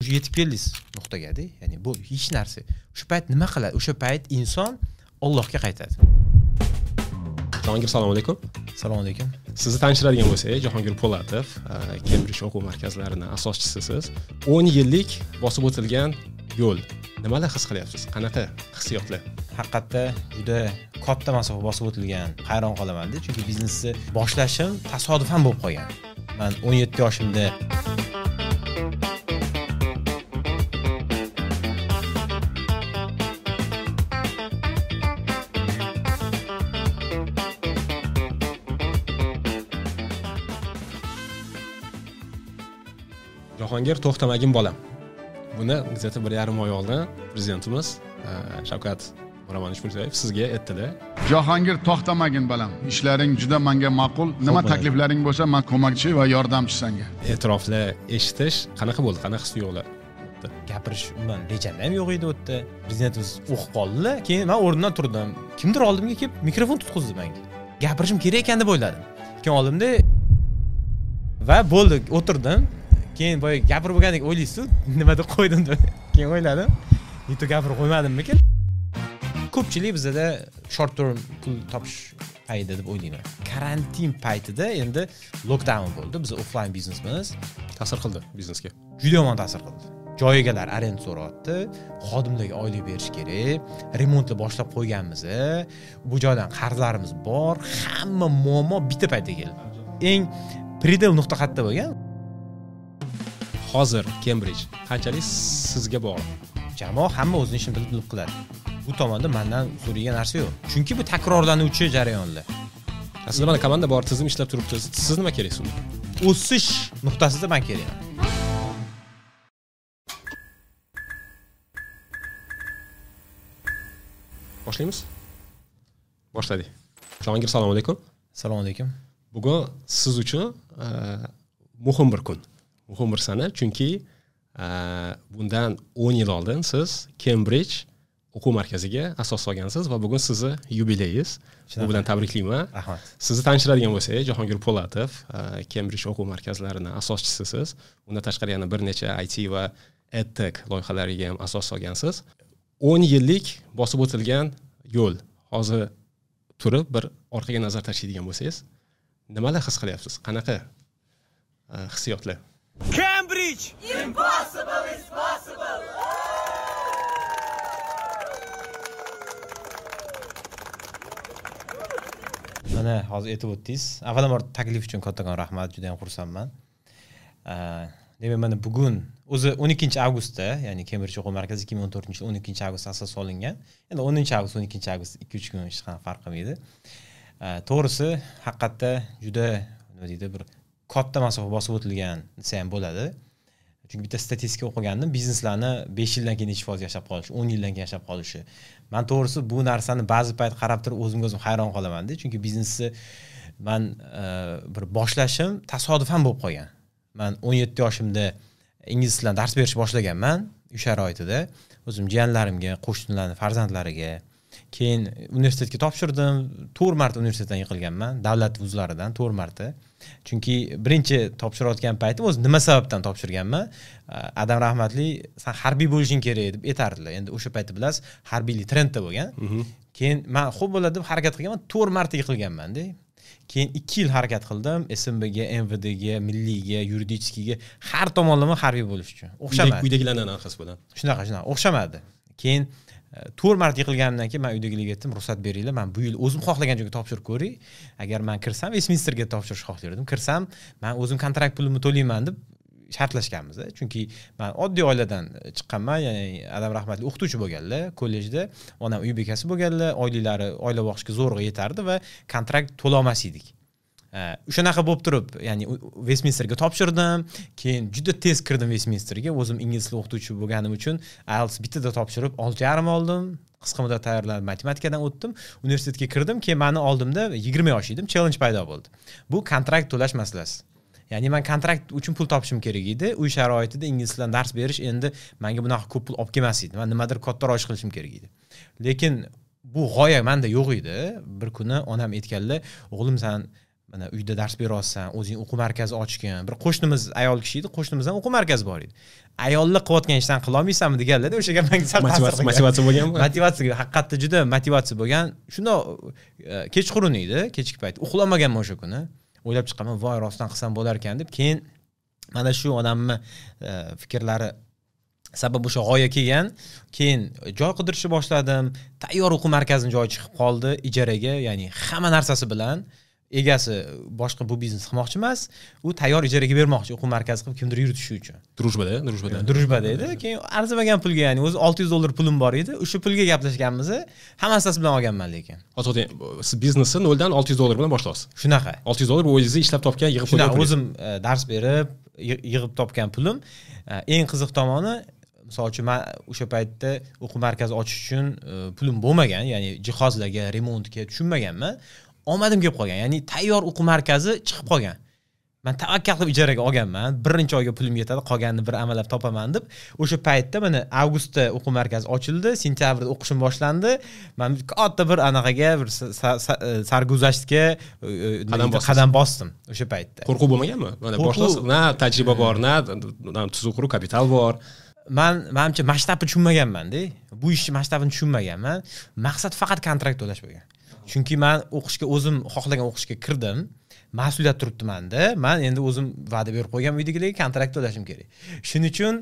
O'sha yetib keldingiz nuqtaga-da, ya'ni bu hech narsa. O'sha payt nima qiladi? O'sha payt inson Allohga qaytadi. Jahongir, assalomu alaykum. Assalomu alaykum. Sizni tanishtiradigan bo'lsak, Jahongir Po'latov, Cambridge o'quv markazlarining asoschisisiz. 10 yillik bosib o'tilgan yo'l. Nimalar his qilyapsiz? Qanaqa hissiyotlar? Haqiqatda juda katta masofa bosib o'tilgan. Hayron qolaman-da, chunki biznesni boshlashim tasodifan bo'lib qolgan. Men 17 yoshimda Jahongir, to'xtamagin bolam. Buni где-то 1,5 oy oldin prezidentimiz Shavkat Miromonovich Mirziyoyev sizga aytdilar. Jahongir, to'xtamagin bolam. Ishlaring juda menga ma'qul. Nima takliflaring bo'lsa, men ko'makchi va yordamchi senga. E'tiroflar eshitish qanaqa bo'ldi? Qanaqa his tuyg'ular? Gapirish umuman rejamda ham yo'q edi u yerda. Prezidentimiz o'qib qoldilar. Keyin men o'rnimdan turdim. Kimdir oldimga kelib mikrofon tutqizdi menga. Gapirishim kerak ekan deb o'yladim. Keyin oldimda va bo'ldi, o'tirdim. Keyin boya gapirib bo'lgandek o'ylaysiz, nima deb qo'ydim deb. Keyin o'yladim, nito gapirib qo'ymadimmikin? Ko'pchilik bizda short term pul topish payida deb o'ylayman. Karantin paytida endi lockdown bo'ldi. Biz offline biznesimiz ta'sir qildi biznesga. Juda yomon ta'sir qildi. Joy egalari arenda so'rayapti, xodimlarga oylik berish kerak, remontni boshlab qo'yganmiz, bu joydan qarzlarimiz bor, hamma muammo bitta paytda keldi. Eng predel nuqta qayerda bo'lgan? Hozir Cambridge qanchalik sizga bog'liq? Jamoa hamma o'zining ishini bilib qiladi. Bu tomonda mendan so'raydigan narsa yo'q. Chunki bu takrorlanuvchi jarayonlar. Aslida mana komanda bor, tizim ishlab turibdi. Siz nima keraksiz unda? O'sish nuqtasida men kerakman. Boshlaymiz? Boshladik. Jahongir, assalomu alaykum. Assalomu alaykum. Bugun siz uchun muhim bir kun. Muhim bir sana, chunki bundan 10 yil oldin siz Cambridge o'quv markaziga asos solgansiz va bugun sizni yubileyiz. Bu bilan tabriklayman. Rahmat. Sizni tanishtiradigan bo'lsak, Jahongir Po'latov, Cambridge o'quv markazlarining asoschisisiz. Undan tashqari yana bir necha IT va EdTech loyihalariga ham asos solgansiz. 10 yillik bosib o'tilgan yo'l. Hozir turib bir orqaga nazar tashlaydigan bo'lsangiz, nimalar his qilyapsiz? Qanaqa hissiyotlar? Cambridge! Impossible is possible! Mana hozir aytib o'tdingiz. Avvalambor taklif uchun kattakon rahmat, juda ham xursandman. Demak, mana bugun o'zi 12 avgustda, ya'ni Cambridge o'quv markazi 2014-yil 12 avgustda asos solingan. Endi 10 avgust, 12 avgust 2-3 kun hech qanaqa farq qilmaydi. To'g'risi, haqiqatda juda nima deydi, bir katta masofa bosib o'tilgan desa ham bo'ladi. Chunki bitta statistika o'qigandim, bizneslarni 5 yildan keyin necha foiz yashab qolishi, 10 yildan keyin yashab qolishi. Men to'g'risi bu narsani ba'zi payt qarab turib o'zimga o'zim hayron qolaman-da, chunki biznesni men bir boshlashim tasodifan bo'lib qolgan. Men 17 yoshimda ingliz tilidan dars berishni boshlaganman uy sharoitida, o'zim jiyanlarimga, qo'shnilarning farzandlariga. Keyin universitetga topshirdim, 4 marta universitetdan yiqilganman, davlat vuzlaridan 4 marta. Chunki birinchi topshirayotgan paytim o'zi nima sababdan topshirganman? Adam rahmatli, sen harbiy bo'lishing kerak deb aytardilar. Endi o'sha paytda bilasiz, harbiylik trendda bo'lgan. Keyin men xo'p bo'ladi deb harakat qilganman, 4 marta yiqilganman-da. Keyin 2 yil harakat qildim, SMBga, MVDga, milliyga, yuridikga, har tomonlama harbiy bo'lish uchun. O'xshamadi. Uydagilarning anaqasi bilan. Shunaqa, o'xshamadi. Keyin 4 marta yiqilganimdan keyin men uydagilarga aytdim, ruxsat beringlar, men bu yil o'zim xohlagan joyga topshirib ko'ray. Agar men kirsam, Westminsterga topshirish xohlardim. Kirsam, men o'zim kontrakt pulimni to'layman deb shartlashganmiz. Chunki men oddiy oiladan chiqqanman, ya'ni adam rahmatli o'qituvchi bo'lganlar, kollejda onam uy bekasi bo'lganlar, oyliklari oila boqishga zo'rg'a yetardi va kontrakt to'la olmas edik. O'shanaqa bo'lib turib, ya'ni Westminsterga topshirdim. Keyin juda tez kirdim Westminsterga. O'zim ingliz tili o'qituvchi bo'lganim uchun IELTS bittada topshirib 6,5 oldim. Qisqa muddat tayyorlanib matematikadan o'tdim. Universitetga kirdim. Keyin meni oldimda 20 yosh edim, challenge paydo bo'ldi. Bu kontrakt to'lash masalasi. Ya'ni men kontrakt uchun pul topishim kerak edi. Uy sharoitida ingliz tilidan dars berish endi menga bunaqa ko'p pul olib kelmas edi. Men nimadir kattaroq ish qilishim kerak edi. Lekin bu g'oya menda yo'q edi. Bir kuni onam aytganlar, o'g'lim sen Mana uyda dars beryapsan, o'zing o'quv markazi ochgan. Bir qo'shnimiz ayol kishi edi, qo'shnimizdan o'quv markazi bor edi. Ayollar qilayotgan ishdan qila olmaysanmi deganlarda, o'sha gap menga sal ta'sir qilgan. Motivatsiya bo'lganmi? Motivatsiya, haqiqatda juda motivatsiya bo'lgan. Shundoq kechqurun edi, kechki payt. Uxlamaganman o'sha kuni. O'ylab chiqaman, voy rostdan qilsam bo'lar ekan deb. Keyin mana shu odamni fikrlari sabab o'sha g'oya kelgan. Keyin joy qidirishni boshladim. Tayyor o'quv markazining joyi chiqib qoldi ijaraga, ya'ni hamma narsasi bilan. Egasi boshqa bu biznes qilmoqchi emas, u tayyor ijaraga bermoqchi, o'quv markazi qilib kimdir yuritishi uchun. Drujbada, drujbada. Drujbada edi. Keyin arzimagan pulga, ya'ni o'zi $600 pulim bor edi. O'sha pulga gaplashganmiz, hammasi bilan olganman lekin. Hozir siz biznesni noldan $600 bilan boshlaysiz. Shunaqa. $600 bu o'zingiz ishlab topgan, yig'ib qo'ygan pulingiz. O'zim dars berib, yig'ib topgan pulim. Eng qiziq tomoni, misol uchun men o'sha paytda o'quv markazi ochish uchun pulim bo'lmagan, ya'ni jihozlarga, remontga tushunmaganman. Omadim kelib qolgan, ya'ni tayyor o'quv markazi chiqib qolgan. Men tavakkal qilib ijaraga olganman, birinchi oyga pulim yetadi, qolganini bir amalab topaman deb. O'sha paytda mana avgustda o'quv markazi ochildi, sentyabrda o'qishim boshlandi. Men katta bir anaqaga, bir sarguzashtga qadam bosdim o'sha paytda. Qo'rquv bo'lmaganmi? Mana boshlasiz, na tajriba bor, na tuzuq quruq kapital bor. Men menimcha masshtabni tushunmaganman-da. Bu ishni masshtabini tushunmaganman. Maqsad faqat kontrakt to'lash bo'lgan. Chunki men o'qishga o'zim xohlagan o'qishga kirdim. Mas'uliyat turibdi menda. Men endi o'zim va'da berib qo'ygan uydagilarga kontrakt to'lashim kerak. Shuning uchun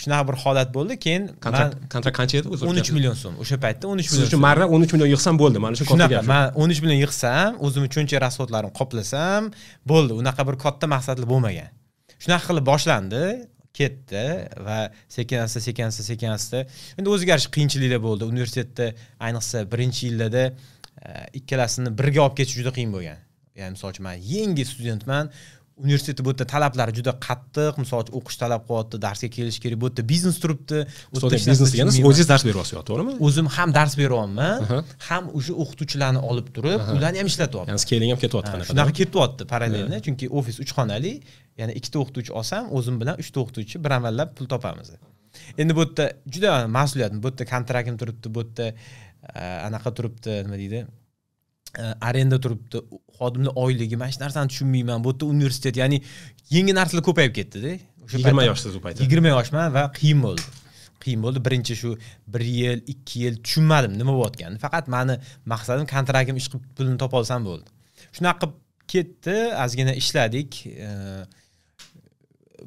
shunaqa bir holat bo'ldi. Keyin kontrakt qancha edi o'zi? 13 million so'm. O'sha paytda 13 million. Siz uchun marra 13 million yig'sam bo'ldi. Mana shu katta gap. Men 13 million yig'sam, o'zim uchuncha rasxodlarimni qoplasam bo'ldi. Unaqa bir katta maqsadli bo'lmagan. Shunaqa qilib boshlandi, ketdi va sekin asta endi o'ziga yarasha qiyinchiliklar bo'ldi. Universitetda ayniqsa birinchi yillarda ikkalasini birga olib ketish juda qiyin bo'lgan. Ya'ni misol uchun men yangi studentman, universitetda bu yerda talablari juda qattiq, misol uchun o'qish talab qilyapti, darsga kelish kerak, bu yerda biznes turibdi. Biznes degani siz o'zingiz dars beryapsiz, to'g'rimi? O'zim ham dars beryapman, ham o'sha o'qituvchilarni olib turib, ularni ham ishlatyapman. Ya'ni scaling ham ketyapti qanaqa? Shunaqa ketyapti parallelni, chunki ofis 3 xonali, ya'ni 2 ta o'qituvchi olsam, o'zim bilan 3 ta o'qituvchi bir amallab pul topamiz. Endi bu yerda juda mas'uliyat, bu yerda kontraktim turibdi, bu yerda anaqa turibdi, nima deydi? Arenda turibdi, xodimlar oyligi, mana shu narsani tushunmayman. Bu yerda universitet, ya'ni yangi narsalar ko'payib ketdi-da. O'sha 20 yoshsiz u paytda. 20 yoshman va qiyin bo'ldi. Qiyin bo'ldi. Birinchi shu 1 yil, 2 yil tushunmadim nima bo'layotganini. Faqat meni maqsadim kontraktim ish qilib pulini topa olsam bo'ldi. Shunaqa qilib ketdi, ozgina ishladik.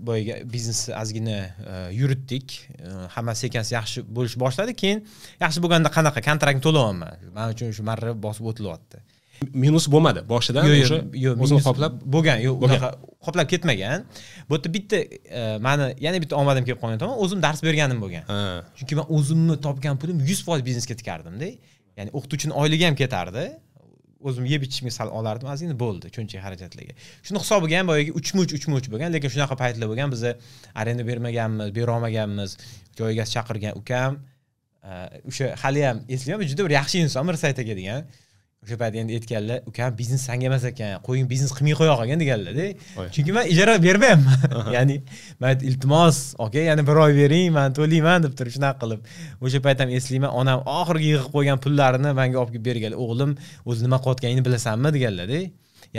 Boyaga biznesni ozgina yuritdik. Hammasi sekin yaxshi bo'lish boshladi. Keyin yaxshi bo'lganda qanaqa kontraktni to'layapman. Men uchun shu marra bosib o'tilyapti. Minus bo'lmadi. Boshidan o'sha o'zini qoplab bo'lgan, yo'q, unaqa qoplab ketmagan. Bu yerda bitta meni yana bitta omadim kelib qolgan tomon, o'zim dars berganim bo'lgan. Chunki men o'zimni topgan pulim 100% biznesga tikardim-da. Ya'ni o'qituvchining oyligi ham ketardi. O'zim yeb ichishimga sal olardim, ozgina bo'ldi cho'nchak xarajatlarga. Shuni hisobiga ham boyagi 3-3 bo'lgan, lekin shunaqa paytlar bo'lgan, biz arenda bermaganmiz, bera olmaganmiz. Joy egasi chaqirgan ukam, o'sha hali ham eslayman, juda bir yaxshi inson, Mirsayt aka degan. O'sha payt endi aytganlar, ukam biznes sanga emas ekan, qo'ying biznes qilmay qo'ya qolgan deganlar-da. Chunki men ijara bermayapman. Ya'ni men iltimos, aka, yana bir oy bering, men to'layman deb turib shunaqa qilib. O'sha payt ham eslayman, onam oxirgi yig'ib qo'ygan pullarini menga olib kelib berganlar. O'g'lim, o'zi nima qilayotganingni bilasanmi deganlar-da.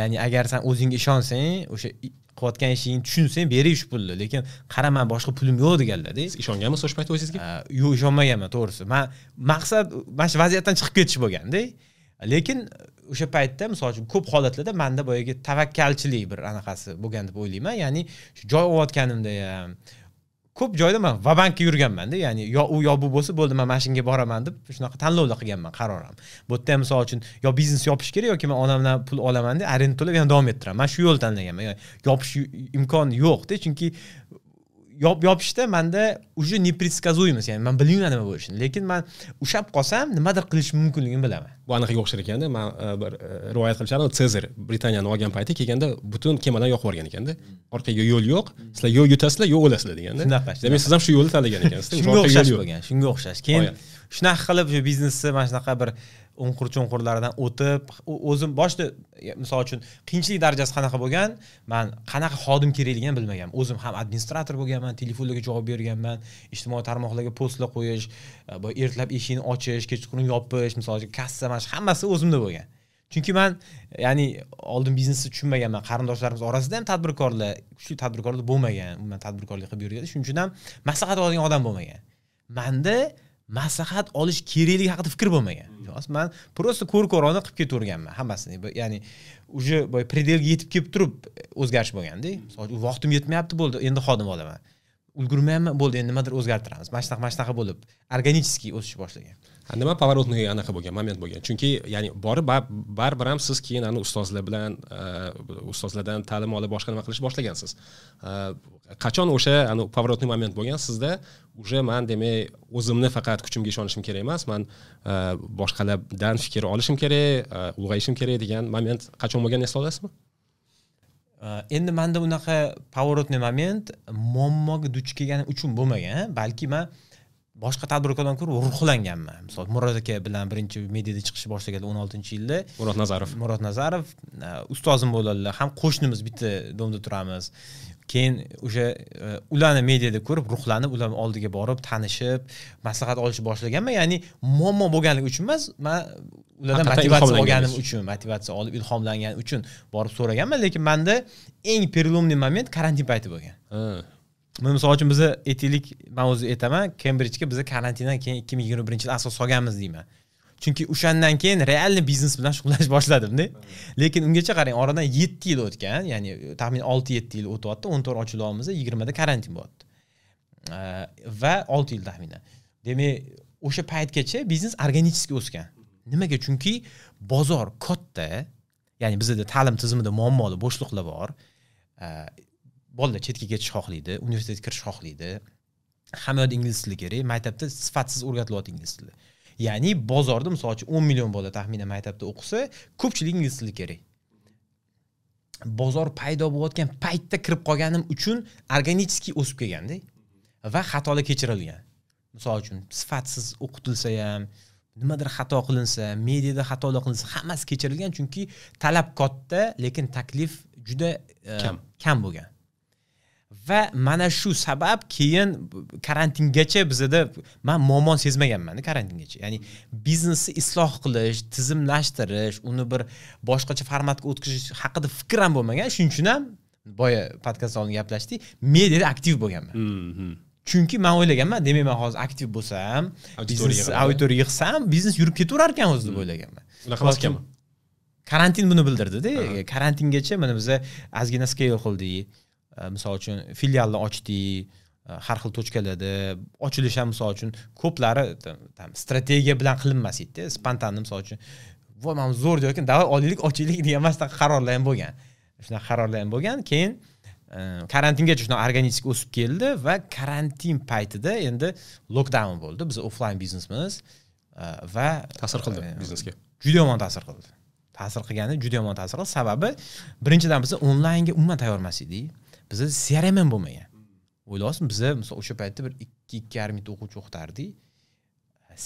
Ya'ni agar sen o'zingga ishonsang, o'sha qilayotgan ishingni tushunsang, bering shu pulni, lekin qara, men boshqa pulim yo'q deganlar-da. Siz ishonganmisiz o'sha payt o'zingizga? Yo'q, ishonmaganman, to'g'risi. Men maqsad mana shu vaziyatdan chiqib ketish bo'lganda. Lekin o'sha paytda misol uchun ko'p holatlarda menda boyagi tavakkalchilik bir anaqasi bo'lgan deb o'ylayman. Ya'ni shu joy olayotganimda ham ko'p joyda men va-bankka yurganman-da, ya'ni yo u yo bu bo'lsa bo'ldi, men mashinga boraman deb shunaqa tanlovlar qilganman, qaror ham. Bu yerda ham misol uchun yo biznes yopish kerak yoki men onamdan pul olaman deb arenda to'lab yana davom ettiraman. Men shu yo'lni tanlaganman. Ya'ni yopish imkoni yo'q-da, chunki yopishda menda уже непредсказуемость, ya'ni men bilmayman nima bo'lishini, lekin men ushlab qolsam nimadir qilish mumkinligini bilaman. Bu anaqaga o'xshar ekanda, men bir rivoyat qilishardim, Sezar Britaniyani olgan payti kelganda butun kemadan yoqib yuborgan ekanda. Orqaga yo'l yo'q, sizlar yo yutasizlar, yo o'lasizlar deganda. Shunaqa. Demak, siz ham shu yo'lni tanlagan ekansizda. Shunga o'xshash bo'lgan, shunga o'xshash. Keyin shunaqa qilib shu biznesni mana shunaqa bir o'nqur-cho'nqurlardan o'tib, o'zim boshida misol uchun qiyinchilik darajasi qanaqa bo'lgan, men qanaqa xodim kerakligini bilmaganman. O'zim ham administrator bo'lganman, telefonlarga javob berganman, ijtimoiy tarmoqlarga postlar qo'yish, ertalab eshikni ochish, kechqurun yopish, misol uchun kassa, mana shu hammasi o'zimda bo'lgan. Chunki man, ya'ni oldin biznesni tushunmaganman, qarindoshlarimiz orasida ham tadbirkorlar, kuchli tadbirkorlar bo'lmagan, umuman tadbirkorlik qilib yurgan. Shuning uchun ham maslahat oladigan odam bo'lmagan. Menda maslahat olish kerakligi haqida fikr bo'lmagan. Man просто ko'r-ko'rona qilib ketaverganman hammasini. Ya'ni уже boy предел ga yetib kelib turib o'zgarish bo'lganda, misol uchun vaqtim yetmayapti, bo'ldi, endi xodim olaman. Ulgurmayapman, bo'ldi, endi nimadir o'zgartiramiz. Mana shunaqa, mana shunaqa bo'lib органический o'sish boshlagan. Nima поворотный anaqa bo'lgan, moment bo'lgan? Chunki ya'ni borib baribir ham siz keyin ani ustozlar bilan, ustozlardan ta'lim olib boshqa nima qilish boshlagansiz. Qachon o'sha ani поворотный moment bo'lgan sizda? Уже man demak o'zimni faqat kuchimga ishonishim kerak emas, man boshqalardan fikr olishim kerak, ulg'ayishim kerak degan moment qachon bo'lgan, eslay olasizmi? Endi menda unaqa поворотный moment muammoga duch kelganim uchun bo'lmagan, balki man boshqa tadbirkorlardan ko'ra ruhlanganman. Misol Murod aka bilan birinchi mediada chiqishni boshlaganlar 16-yilda. Murod Nazarov. Murod Nazarov ustozim bo'ladilar, ham qo'shnimiz, bitta domda turamiz. Keyin o'sha ularni mediada ko'rib, ruhlanib, ularning oldiga borib, tanishib, maslahat olishni boshlaganman. Ya'ni muammo bo'lganligi uchun emas, man ulardan motivatsiya olganim uchun, motivatsiya olib, ilhomlanganim uchun borib so'raganman, lekin menda eng переломный moment karantin payti bo'lgan. Misol uchun biza aytaylik, men o'zi aytaman, Cambridgega biza karantindan keyin 2021-yil asos solganmiz deyman. Chunki o'shandan keyin realni biznes bilan shug'ullanish boshladim-da. Lekin ungacha qarang, oradan 7 yil o'tgan, ya'ni taxminan 6-7 yil o'tyapti, 14 ochilyapmiz, 20 da karantin bo'lyapti. Va 6 yil taxminan. Demak, o'sha paytgacha biznes organik o'sgan. Nimaga? Chunki bozor katta, ya'ni bizda ta'lim tizimida muammoli bo'shliqlar bor. Bolalar chetga ketish xohlaydi, universitetga kirish xohlaydi. Hamma yoqda ingliz tili kerak, maktabda sifatsiz o'rgatilyapti ingliz tili. Ya'ni bozorda misol uchun 10 million bola taxminan maktabda o'qisa, ko'pchilik ingliz tili kerak. Bozor paydo bo'layotgan paytda kirib qolganim uchun organik o'sib kelganda va xatolar kechirilgan. Misol uchun sifatsiz o'qitilsa ham, nimadir xato qilinsa, mediada xatolar qilinsa, hammasi kechirilgan, chunki talab katta, lekin taklif juda kam bo'lgan. Va mana shu sabab keyin karantingacha bizada men muammoni sezmaganman karantingacha. Ya'ni biznesni isloh qilish, tizimlashtirish, uni bir boshqacha formatga o'tkazish haqida fikr ham bo'lmagan. Shuning uchun ham boya podkast oldin gaplashdik, mediada aktiv bo'lganman. Chunki men o'ylaganman, demak men hozir aktiv bo'lsam, biznes auditoriya yig'sam, biznes yurib ketaverar ekan o'zi deb o'ylaganman. Unaqa emas ekanmi? Karantin buni bildirdi-da. Karantingacha mana biz ozgina scale qildik. Misol uchun filialni ochdik, har xil tochkalarda ochilish ham misol uchun ko'plari tam strategiya bilan qilinmas edi, spontanni misol uchun voy mana zo'r joy ekan, davay olaylik, ochaylik degan shunaqa qarorlar ham bo'lgan. Shunaqa qarorlar ham bo'lgan. Keyin karantingacha shunaqa organik o'sib keldi va karantin paytida endi lockdown bo'ldi. Biz offline biznesimiz va ta'sir qildi biznesga. Juda yomon ta'sir qildi. Ta'sir qilgani juda yomon ta'sir qildi. Sababi birinchidan biz onlaynga umuman tayyor emas edik. Bizda CRM ham bo'lmagan. O'ylayapsizmi, biza misol o'sha paytda bir 2-2,5 mingta o'quvchi o'qitardik.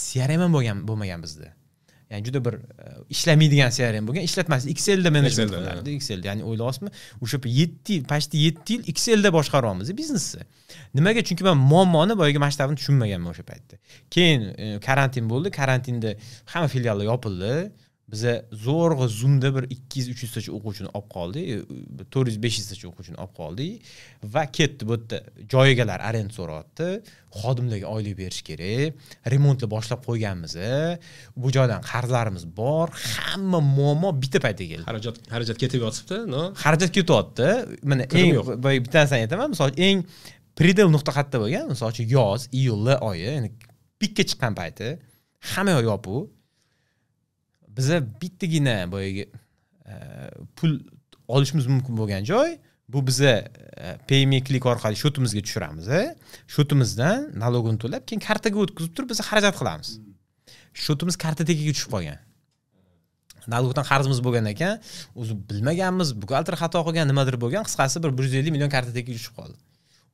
CRM ham bo'lmagan bizda. Ya'ni juda bir ishlamaydigan CRM bo'lgan, ishlatmas Excelda menejment qilardi, Excelda. Ya'ni o'ylayapsizmi, o'sha 7 yil, почти 7 yil Excelda boshqaryapmiz biznesni. Nimaga? Chunki men muammoni boyagi masshtabini tushunmaganman o'sha paytda. Keyin karantin bo'ldi, karantinda hamma filiallar yopildi. Biza zo'rg'a Zoomda bir 200-300 tacha o'quvchini olib qoldik, 400-500 tacha o'quvchini olib qoldik va ketdi. Bu yerda joy egalari arenda so'rayapti, xodimlarga oylik berish kerak, remontni boshlab qo'yganmiz, bu joydan qarzlarimiz bor, hamma muammo bitta paytda keldi. Xarajat ketib yotibdi, no? Xarajat ketyapti. Mana eng bitta narsani aytaman, misol eng predel nuqta qayerda bo'lgan? Misol uchun yoz, iyul oyi, ya'ni pikka chiqqan payti, hamma yoq yopiq. Biza bittagina boyagi pul olishimiz mumkin bo'lgan joy bu biza Payme Click orqali shotimizga tushiramiz. Shotimizdan nalogini to'lab, keyin kartaga o'tkazib turib biz xarajat qilamiz. Shotimiz kartotekiga tushib qolgan. Nalogdan qarzimiz bo'lgan ekan, o'zi bilmaganmiz, buxgalter xato qilgan, nimadir bo'lgan, qisqasi bir 150 million kartotekiga tushib qoldi.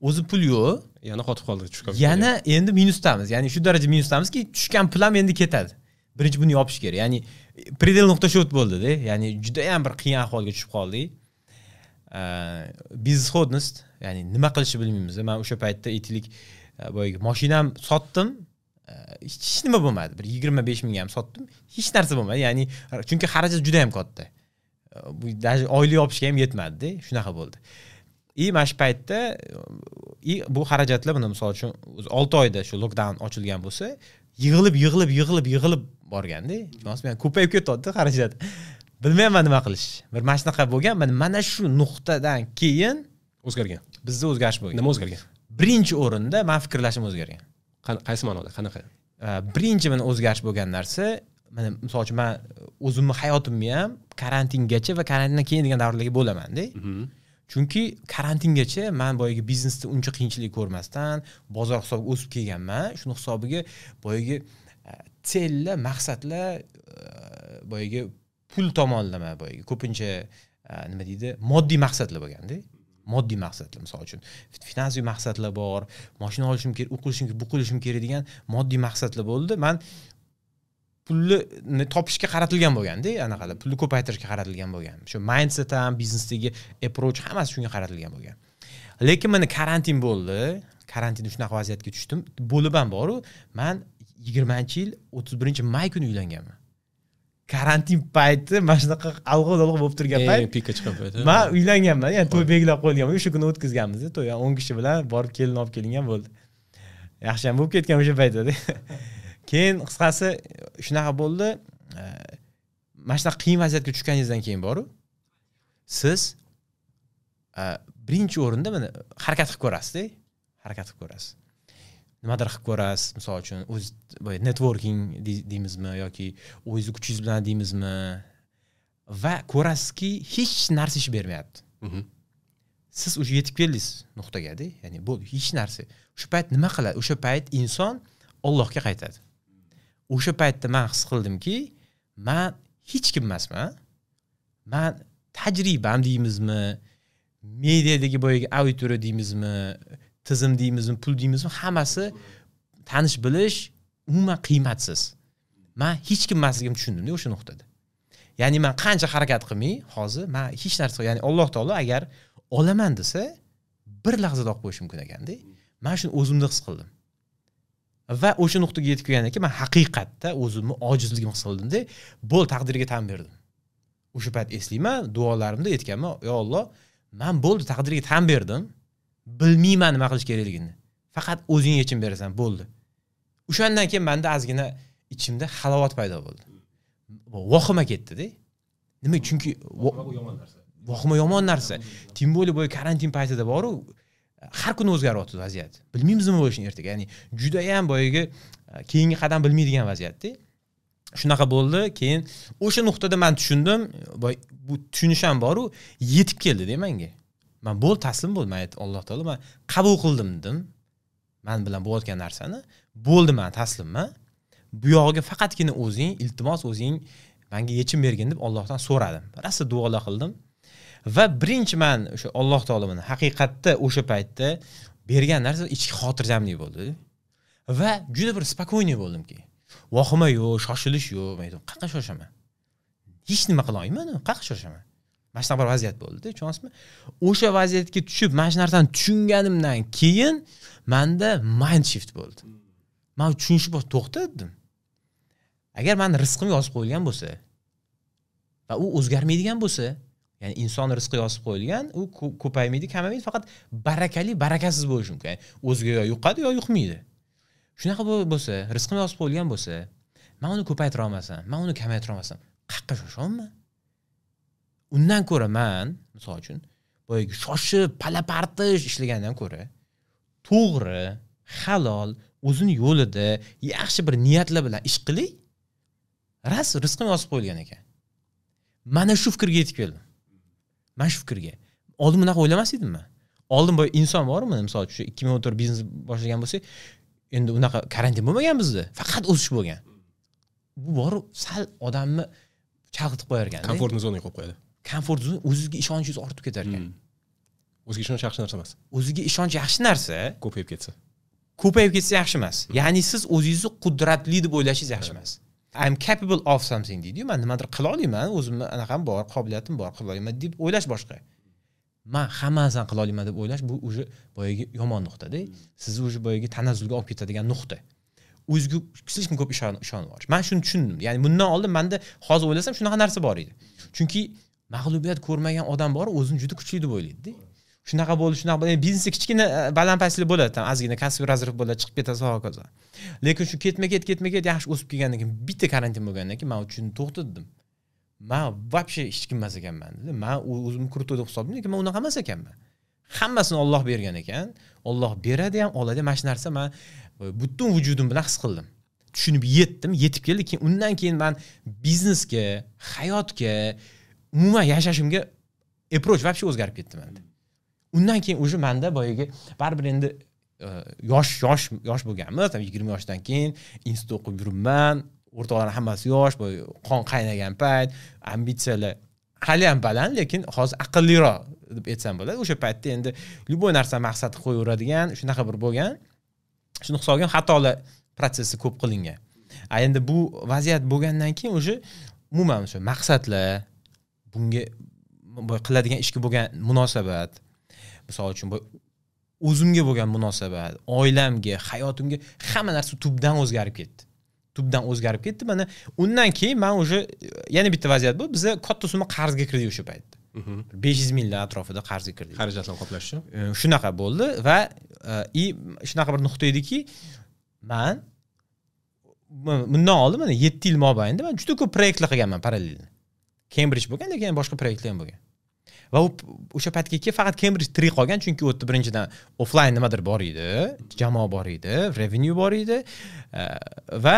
O'zi pul yo'q, yana qotib qoldi, tushib qoldi. Yana endi minusdamiz. Ya'ni shu daraja minusdamizki, tushgan pul ham endi ketadi. Birinchi buni yopish kerak. Ya'ni predel nuqta shot bo'ldi-da. Ya'ni juda ham bir qiyin ahvolga tushib qoldik. Безысходность, ya'ni nima qilishni bilmaymiz. Men o'sha paytda aytaylik, boyagi mashinam sotdim, Hech nima bo'lmadi. Bir 25 mingga ham sotdim. Hech narsa bo'lmadi. Ya'ni chunki xarajat juda ham katta. Bu даже oylik yopishga ham yetmadi-da. Shunaqa bo'ldi. Mana shu paytda bu xarajatlar buni misol uchun 6 oyda shu lockdown ochilgan bo'lsa, yig'ilib borganda, tushunasizmi? Ko'payib ketyapti xarajat. Bilmayman nima qilish. Bir mana shunaqa bo'lgan. Mana shu nuqtadan keyin o'zgargan. Bizda o'zgarish bo'lgan. Nima o'zgargan? Birinchi o'rinda men fikrlashim o'zgargan. Qaysi ma'noda? Qanaqa? Birinchi mana o'zgarish bo'lgan narsa, mana misol uchun men o'zimni hayotimni ham karantingacha va karantindan keyin degan davrlarga bo'laman-da. Chunki karantingacha men boyagi biznesda uncha qiyinchilik ko'rmasdan bozor hisobiga o'sib kelganman. Shuni hisobiga boyagi sellar, maqsadlar, boyagi pul tomonlama, boyagi ko'pincha nima deydi, moddiy maqsadlar bo'lganda. Moddiy maqsadlar, misol uchun finansiy maqsadlar bor, mashina olishim kerak, u qilishim kerak, bu qilishim kerak degan moddiy maqsadlar bo'ldi. Men pulni topishga qaratilgan bo'lganda, anaqalar pulni ko'paytirishga qaratilgan bo'lgan. Shu mindset ham, biznesdagi approach hammasi shunga qaratilgan bo'lgan. Lekin mana karantin bo'ldi. Karantinda shunaqa vaziyatga tushdim. Bo'lib ham boru, men 20-yil 31-may kuni uylanganman. Karantin payti mana shunaqa alg'o-dalg'o bo'lib turgan payt, pikka chiqqan payt. Men uylanganman, ya'ni to'y belgilab qo'yilgan, o'sha kuni o'tkazganmiz, to'y 10 kishi bilan borib kelin olib kelingan bo'ldi. Yaxshi ham bo'lib ketgan o'sha paytda. Keyin qisqasi shunaqa bo'ldi. Mana shunaqa qiyin vaziyatga tushganingizdan keyin boru, siz birinchi o'rinda mana harakat qilib ko'rasiz-da, harakat qilib ko'rasiz. Nimadir qilib ko'rasiz, misol uchun o'z networking deymizmi yoki o'zingizni kuchingiz bilan deymizmi, va ko'rasizki hech narsa ish bermayapti. Siz o'sha yetib keldingiz nuqtaga-da, ya'ni bo'ldi, hech narsa. O'sha payt nima qiladi? O'sha payt inson Allohga qaytadi. O'sha paytda men his qildimki, men hech kim emasman. Men tajribam deymizmi, mediadagi boyagi auditoriya deymizmi, tizim deymizmi, pul deymizmi, hammasi tanish bilish umuman qiymatsiz. Men hech kim emasligimni tushundimda o'sha nuqtada. Ya'ni men qancha harakat qilmay, hozir men hech narsa, ya'ni Alloh taolo agar olaman desa, bir lahzada olib qo'yish mumkin ekanda. Men shuni o'zimda his qildim. Va o'sha nuqtaga yetib kelgandan keyin men haqiqatda o'zimni ojizligimni his qildimda, bo'l taqdirga tan berdim. O'sha payt eslayman, duolarimda aytganman, "Ey Alloh, men bo'ldi taqdirga tan berdim. Bilmayman nima qilish kerakligini. Faqat o'zing yechim berasan, bo'ldi." O'shandan keyin menda ozgina ichimda halovat paydo bo'ldi. Vahima ketdi-da. Nima? Chunki yomon narsa. Vahima yomon narsa. Tim bo'lib boy karantin paytida boru, har kuni o'zgaryapti vaziyat. Bilmaymiz nima bo'lishini ertaga. Ya'ni juda ham boyagi keyingi qadam bilmaydigan vaziyatda. Shunaqa bo'ldi. Keyin o'sha nuqtada men tushundim, boy bu tushunish ham boru, yetib keldi-da menga. Men bo'l taslim bo'ldim, aytdim Alloh taolo, men qabul qildim dedim. Men bilan bo'layotgan narsani bo'ldi, men taslimman. Bu yog'iga faqatgina o'zing, iltimos o'zing menga yechim bergin deb Allohdan so'radim. Rosa duolar qildim. Va birinchi men o'sha Alloh taolo meni haqiqatda o'sha paytda bergan narsa ichki xotirjamlik bo'ldi. Va juda bir spokойный bo'ldimki. Vahima yo'q, shoshilish yo'q. Men aytdim, qayerga shoshaman? Hech nima qila olmayman, qayerga shoshaman? Mana shunaqa bir vaziyat bo'ldi, tushunasizmi? O'sha vaziyatga tushib, mana shu narsani tushunganimdan keyin menda mind shift bo'ldi. Men tushunishib to'xta dedim. Agar meni rizqim yozib qo'yilgan bo'lsa va u o'zgarmaydigan bo'lsa, ya'ni inson rizqi yozib qo'yilgan, u ko'paymaydi, kamaymaydi, faqat barakali, barakasiz bo'lishi mumkin. Ya'ni o'ziga yo yuqadi, yo yuqmaydi. Shunaqa bo'lsa, rizqim yozib qo'yilgan bo'lsa, men uni ko'paytira olmasam, men uni kamaytira olmasam, qayerga shoshaman? Undan ko'ra men, misol uchun, boyagi shoshib, palapartish ishlagandan ko'ra, to'g'ri, halol, o'zini yo'lida yaxshi bir niyatlar bilan ish qiling, ras rizqim yozib qo'yilgan ekan. Mana shu fikrga yetib keldim. Mana shu fikrga. Oldin bunaqa o'ylamas edim men. Oldin boy inson bormi, misol uchun, 2014 biznes boshlagan bo'lsak, endi unaqa karantin bo'lmagan bizda, faqat o'sish bo'lgan. Bu borib sal odamni chalg'itib qo'yar ekan. Komfort zonaga qo'yib qo'yadi. Komfort zona, o'zizga ishonchingiz ortib ketar ekan. O'ziga ishonch yaxshi narsa emas. O'ziga ishonch yaxshi narsa, ko'payib ketsa. Ko'payib ketsa yaxshi emas. Ya'ni siz o'zingizni qudratli deb o'ylashingiz yaxshi emas. I'm capable of something deydi-yu, men nimadir qila olaman, o'zimni anaqam bor, qobiliyatim bor, qila olaman deb o'ylash boshqa. Men hamma narsani qila olaman deb o'ylash bu уже boyagi yomon nuqtada. Sizni уже boyagi tanazzulga olib ketadigan nuqta. O'ziga слишком ko'p ishonib yuborish. Man shuni tushundim. Ya'ni bundan oldin menda, hozir o'ylasam, shunaqa narsa bor edi. Chunki mag'lubiyat ko'rmagan odam bor, o'zini juda kuchli deb o'ylaydi. Shunaqa bo'ldi, shunaqa bo'ldi. Biznesda kichkina baland-pastlik bo'ladi, там ozgina кассовый разрыв bo'ladi, chiqib ketasiz, hokazo. Lekin shu ketma-ket yaxshi o'sib kelgandan keyin, bitta karantin bo'lgandan keyin man tushundim, to'xtadim. Man вообще hech kim emas ekanman dedim. Man o'zimni крутой deb hisoblayman, lekin man unaqa emas ekanman. Hammasini Alloh bergan ekan. Alloh beradi ham, oladi ham. Mana shu narsa man butun vujudim bilan his qildim. Tushunib yetdim, yetib keldi. Keyin undan keyin man biznesga, hayotga, umuman yashashimga approach вообще o'zgarib ketdi menda. Undan keyin уже menda boyagi baribir endi yosh yosh yosh bo'lganmiz, 20 yoshdan keyin institut o'qib yuribman, o'rtoqlar hammasi yosh, boy qon qaynagan payt, ambitsiyalar hali ham baland, lekin hozir aqlliroq deb aytsam bo'ladi. O'sha paytda endi любой narsa maqsad qo'yaveradigan shunaqa bir bo'lgan. Shuni hisobiga xatolar protsessi ko'p qilingan. A endi bu vaziyat bo'lgandan keyin уже umuman o'sha maqsadlar, bunga qiladigan ishga bo'lgan munosabat, misol uchun o'zimga bo'lgan munosabat, oilamga, hayotimga, hamma narsa tubdan o'zgarib ketdi. Tubdan o'zgarib ketdi. Mana undan keyin men уже yana bitta vaziyat bo'ldi. Biz katta summa qarzga kirdik o'sha paytda. 500 minglar atrofida qarzga kirdik. Xarajatlarni qoplash uchun. Shunaqa bo'ldi va shunaqa bir nuqta ediki, man bundan oldin mana 7 yil mobaynida man juda ko'p proyektlar qilganman parallel. Cambridge bo'lgan, lekin boshqa proyektlar ham bo'lgan. Va o'sha paytga kelib faqat Cambridge tirik qolgan, chunki u yerda birinchidan offline nimadir bor edi, jamoa bor edi, revenue bor edi va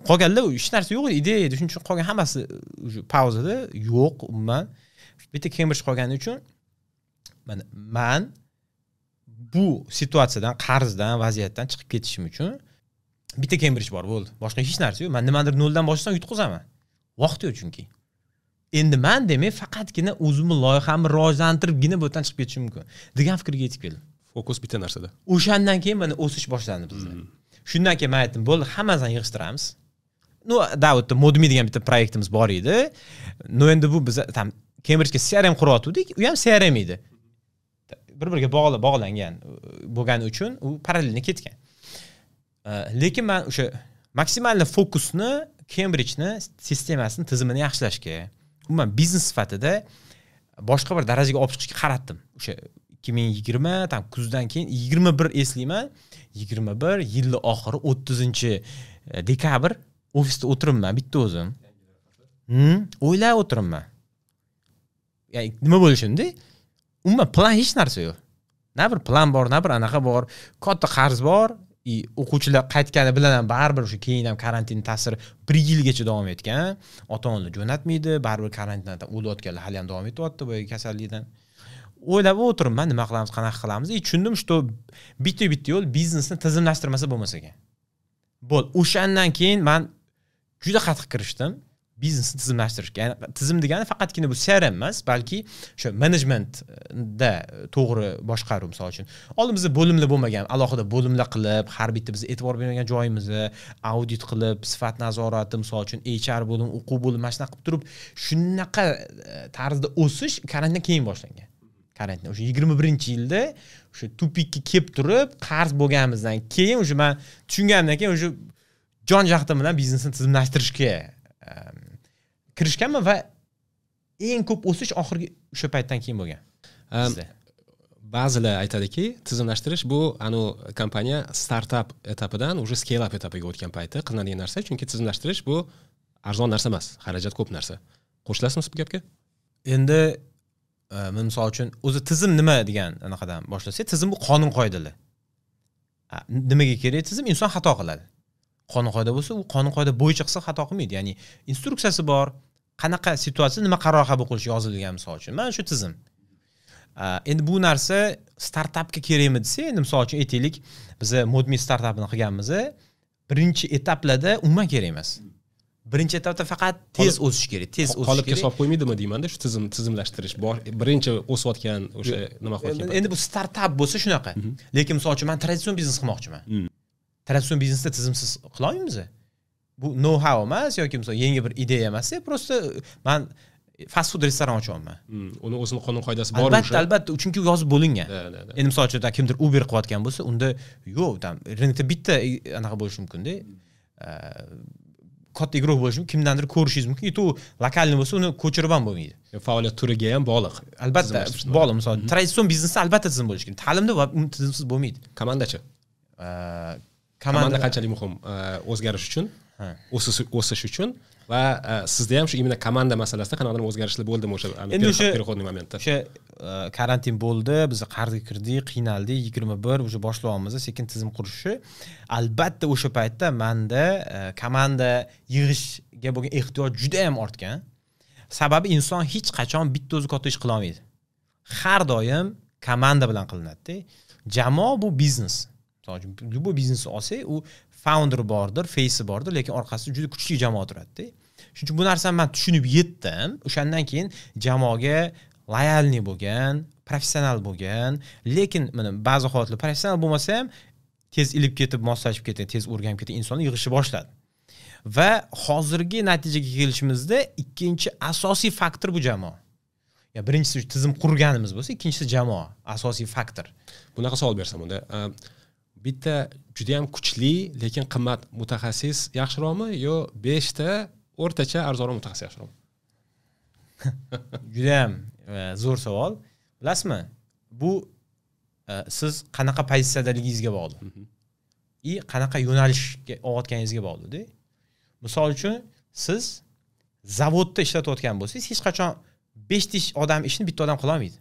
qolganlar hech narsa yo'q edi, ideya edi. Shuning uchun qolgan hammasi уже pauzada, yo'q umuman. Bitta Cambridge qolgani uchun mana man bu situatsiyadan, qarzdan, vaziyatdan chiqib ketishim uchun bitta Cambridge bor bo'ldi. Boshqa hech narsa yo'q. Men nimadir noldan boshlasam yutqazaman. Vaqt yo'q chunki. Endi man demak faqatgina o'zimni loyihamni rivojlantiribgina bu yerdan chiqib ketishim mumkin degan fikrga yetib keldim. Fokus bitta narsada. O'shandan keyin mana o'sish boshlandi bizda. Shundan keyin men aytdim, bo'ldi, hammasini yig'ishtiramiz. Ну, да, o'tda Modmi degan bitta proyektimiz bor edi. Но endi bu biz там Cambridgega CRM quryotgandik, u ham CRM edi. Bir-biriga bog'langan bo'lgani uchun u parallelni ketgan. Lekin men o'sha maksimal fokusni Cambridgeni sistemasini, tizimini yaxshilashga, umuman biznes sifatida boshqa bir darajaga olib chiqishga qaratdim. O'sha 2020 tam kuzdan keyin 21 eslayman, 21 yilni oxiri 30 dekabr ofisda o'tiribman bitta o'zim. O'ylab o'tiribman. Ya'ni nima bo'lishini, umuman plan hech narsa yo'q. Na bir plan bor, na bir anaqa bor, katta qarz bor. O'quvchilar qaytgani bilan ham baribir o'sha keyin ham karantin ta'siri 1 yilgacha davom etgan. Ota-onalar jo'natmaydi, baribir karantinda o'layotganlar hali ham davom etyapti boyagi kasallikdan. O'ylab o'tiribman, nima qilamiz, qanaqa qilamiz. Tushundim, что bitta-bitta yo'l biznesni tizimlashtirmasa bo'lmas ekan. Bo'l, o'shandan keyin men juda qattiq kirishdim biznesni tizimlashtirishga. Ya'ni tizim degani faqatgina bu CRM emas, balki o'sha menejmentda to'g'ri boshqaruv, misol uchun. Oldin bizda bo'limlar bo'lmagan, alohida bo'limlar qilib, har bitta biz e'tibor bermagan joyimizni audit qilib, sifat nazorati, misol uchun HR bo'lim, o'quv bo'limi, mana shunaqa qilib turib, shunaqa tarzda o'sish karantindan keyin boshlangan. Karantin o'sha 21-yilda o'sha tupikka kelib turib, qarz bo'lganimizdan keyin o'sha men tushunganimdan keyin o'sha jon jahdim bilan biznesni tizimlashtirishga kirishganman va eng ko'p o'sish oxirgi o'sha paytdan keyin bo'lgan. Ba'zilar aytadiki, tizimlashtirish bu anu kompaniya startap etapidan уже scale up etapiga o'tgan payti qilinadigan narsa, chunki tizimlashtirish bu arzon narsa emas, xarajat ko'p narsa. Qo'shilasizmi bu gapga? Endi misol uchun o'zi tizim nima degan anaqadan boshlasak, tizim bu qonun qoidalar. Nimaga kerak tizim? Inson xato qiladi. Qonun qoida bo'lsa, u qonun qoida bo'yicha qilsa xato qilmaydi. Ya'ni instruksiyasi bor, qanaqa situatsiya nima qaror qabul qilish yozilgan misol uchun. Mana shu tizim. Endi bu narsa startapga kerakmi desa, endi misol uchun aytaylik, biz Modmi startapini qilganmiz, birinchi etaplarda umuman kerak emas. Birinchi etapda faqat tez o'sish kerak, tez o'sish kerak. Qolipga solib qo'ymaydimi deyman-da, shu tizimlashtirish bor. Birinchi o'sayotgan o'sha nima qilayotgan. Endi bu startap bo'lsa shunaqa. Lekin misol uchun men traditsion biznes qilmoqchiman. Traditsion biznesda tizimsiz qila olmaymiz. Bu know-how emas yoki misol yangi bir ideya emas, просто men Fast food restoran ochyapman. Uni o'zini qonun qoidasi bor. Albatta, albatta, chunki u yozib bo'lingan. Endi misol uchun kimdir Uber qilayotgan bo'lsa, unda yo'q, там рынок da bitta anaqa bo'lishi mumkin-da. Katta игрок bo'lishi mumkin, kimdandir ko'rishingiz mumkin. И то локальный bo'lsa, uni ko'chirib ham bo'lmaydi. Faoliyat turiga ham bog'liq. Albatta, bog'liq. Misol, traditsion biznesda albatta tizim bo'lishi kerak. Ta'limda tizimsiz bo'lmaydi. Komandachi? Komanda qanchalik muhim o'zgarish uchun, o'sish uchun va sizda ham shu именно komanda masalasida qanaqadir o'zgarishlar bo'ldimi o'sha переходный момент da? O'sha karantin bo'ldi, biz qarzga kirdik, qiynaldik, 21 уже boshlayapmiz sekin tizim qurishni. Albatta o'sha paytda menda komanda yig'ishga bo'lgan ehtiyoj juda ham ortgan. Sababi inson hech qachon bitta o'zi katta ish qila olmaydi. Har doim komanda bilan qilinadi-da. Jamoa bu biznes. Misol uchun, любой biznesni olsak, u founder bordir, face'i bordir, lekin orqasida juda kuchli jamoa turadi-da. Shuning uchun bu narsani men tushunib yetdim. O'shandan keyin jamoaga лояльный bo'lgan, professional bo'lgan, lekin mana ba'zi holatlarda professional bo'lmasa ham tez ilib ketib, moslashib ketgan, tez o'rganib ketgan insonni yig'ishni boshladi. Va hozirgi natijaga kelishimizda ikkinchi asosiy faktor bu jamoa. Ya birinchisi tizim qurganimiz bo'lsa, ikkinchisi jamoa asosiy faktor. Bunaqa savol bersam unda, bitta juda ham kuchli, lekin qimmat mutaxassis yaxshiroqmi yo 5 ta o'rtacha arzonroq mutaxassis yaxshiroqmi? Juda ham zo'r savol. Bilasizmi? Bu siz qanaqa pozitsiyadaligingizga bog'liq. И qanaqa yo'nalishga olayotganingizga bog'liq-da. Misol uchun, siz zavodda ishlatayotgan bo'lsangiz, hech qachon 5 ta odam ishini bitta odam qila olmaydi.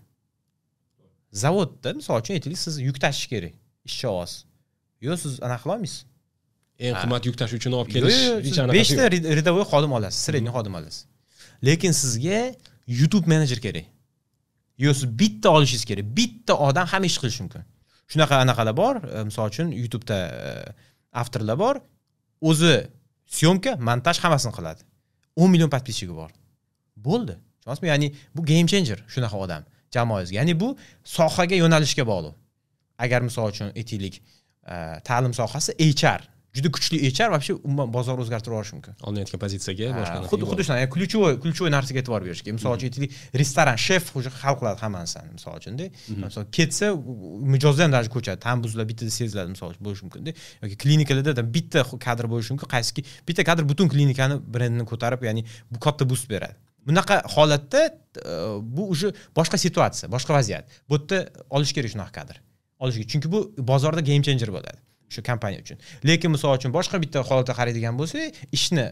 Zavodda, misol uchun, aytaylik, siz yuk tashish kerak, ishchi olasiz. Yo'q, siz anaqa qila olmaysiz. Eng qimmat yuk tashuvchini olib kelish hech anaqa. 5 ta рядовой xodim olasiz, средний xodim olasiz. Lekin sizga YouTube menejer kerak. Yo'q, siz bitta olishingiz kerak. Bitta odam hamma ish qilishi mumkin. Shunaqa anaqalar bor, misol uchun YouTube'da avtorlar bor, o'zi съёмка, montaj hammasini qiladi. 10 million подписчик i bor. Bo'ldi. Tushunasizmi? Ya'ni bu game changer shunaqa odam jamoangizga. Ya'ni bu sohaga, yo'nalishga bog'liq. Agar misol uchun aytaylik, ta'lim sohasi HR, juda kuchli HR вообще umuman bozor o'zgartirib yuborishi mumkin. Olinayotgan pozitsiyaga boshqa. Xuddi shunaqa, ya'ni ключевой narsaga e'tibor berish kerak. Misol uchun aytaylik, restoran shef уже hal qiladi hamma narsani, misol uchun-da. Misol ketsa, mijozlar ham даже ko'chadi, ta'm buziladi, bittada seziladi, misol uchun bo'lishi mumkin-da. Yoki klinikalarda bitta kadr bo'lishi mumkin, qaysiki bitta kadr butun klinikani brendini ko'tarib, ya'ni bu katta boost beradi. Bunaqa holatda bu уже boshqa situatsiya, boshqa vaziyat. Bu yerda olish kerak shunaqa kadr. Olish kerak, chunki bu bozorda game changer bo'ladi o'sha kompaniya uchun. Lekin misol uchun boshqa bitta holatda qaraydigan bo'lsak, ishni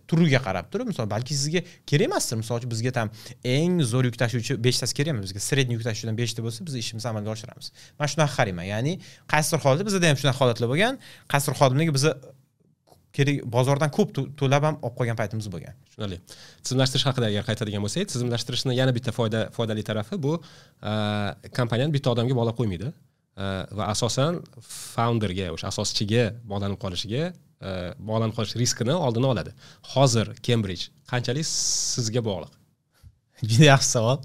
turiga qarab turib, misol balki sizga kerak emasdir. Misol uchun bizga tam eng zo'r yuk tashuvchi 5 tasi kerak emas, bizga средний yuk tashuvchidan 5 ta bo'lsa, biz ishimizni amalga oshiramiz. Men shunaqa qarayman. Ya'ni qaysidir holatda bizda ham shunaqa holatlar bo'lgan, qaysidir xodimlarga biz kerak bozordan ko'p to'lab ham olib qolgan paytimiz bo'lgan. Tushunarli. Tizimlashtirish haqida agar qaytadigan bo'lsak, tizimlashtirishni yana bitta foydali tarafi bu kompaniyani bitta odamga bog'lab qo'ymaydi. Va asosan founderga, o'sha asoschiga bog'lanib qolishiga, bog'lanib qolish riskini oldini oladi. Hozir Cambridge qanchalik sizga bog'liq? Juda yaxshi savol.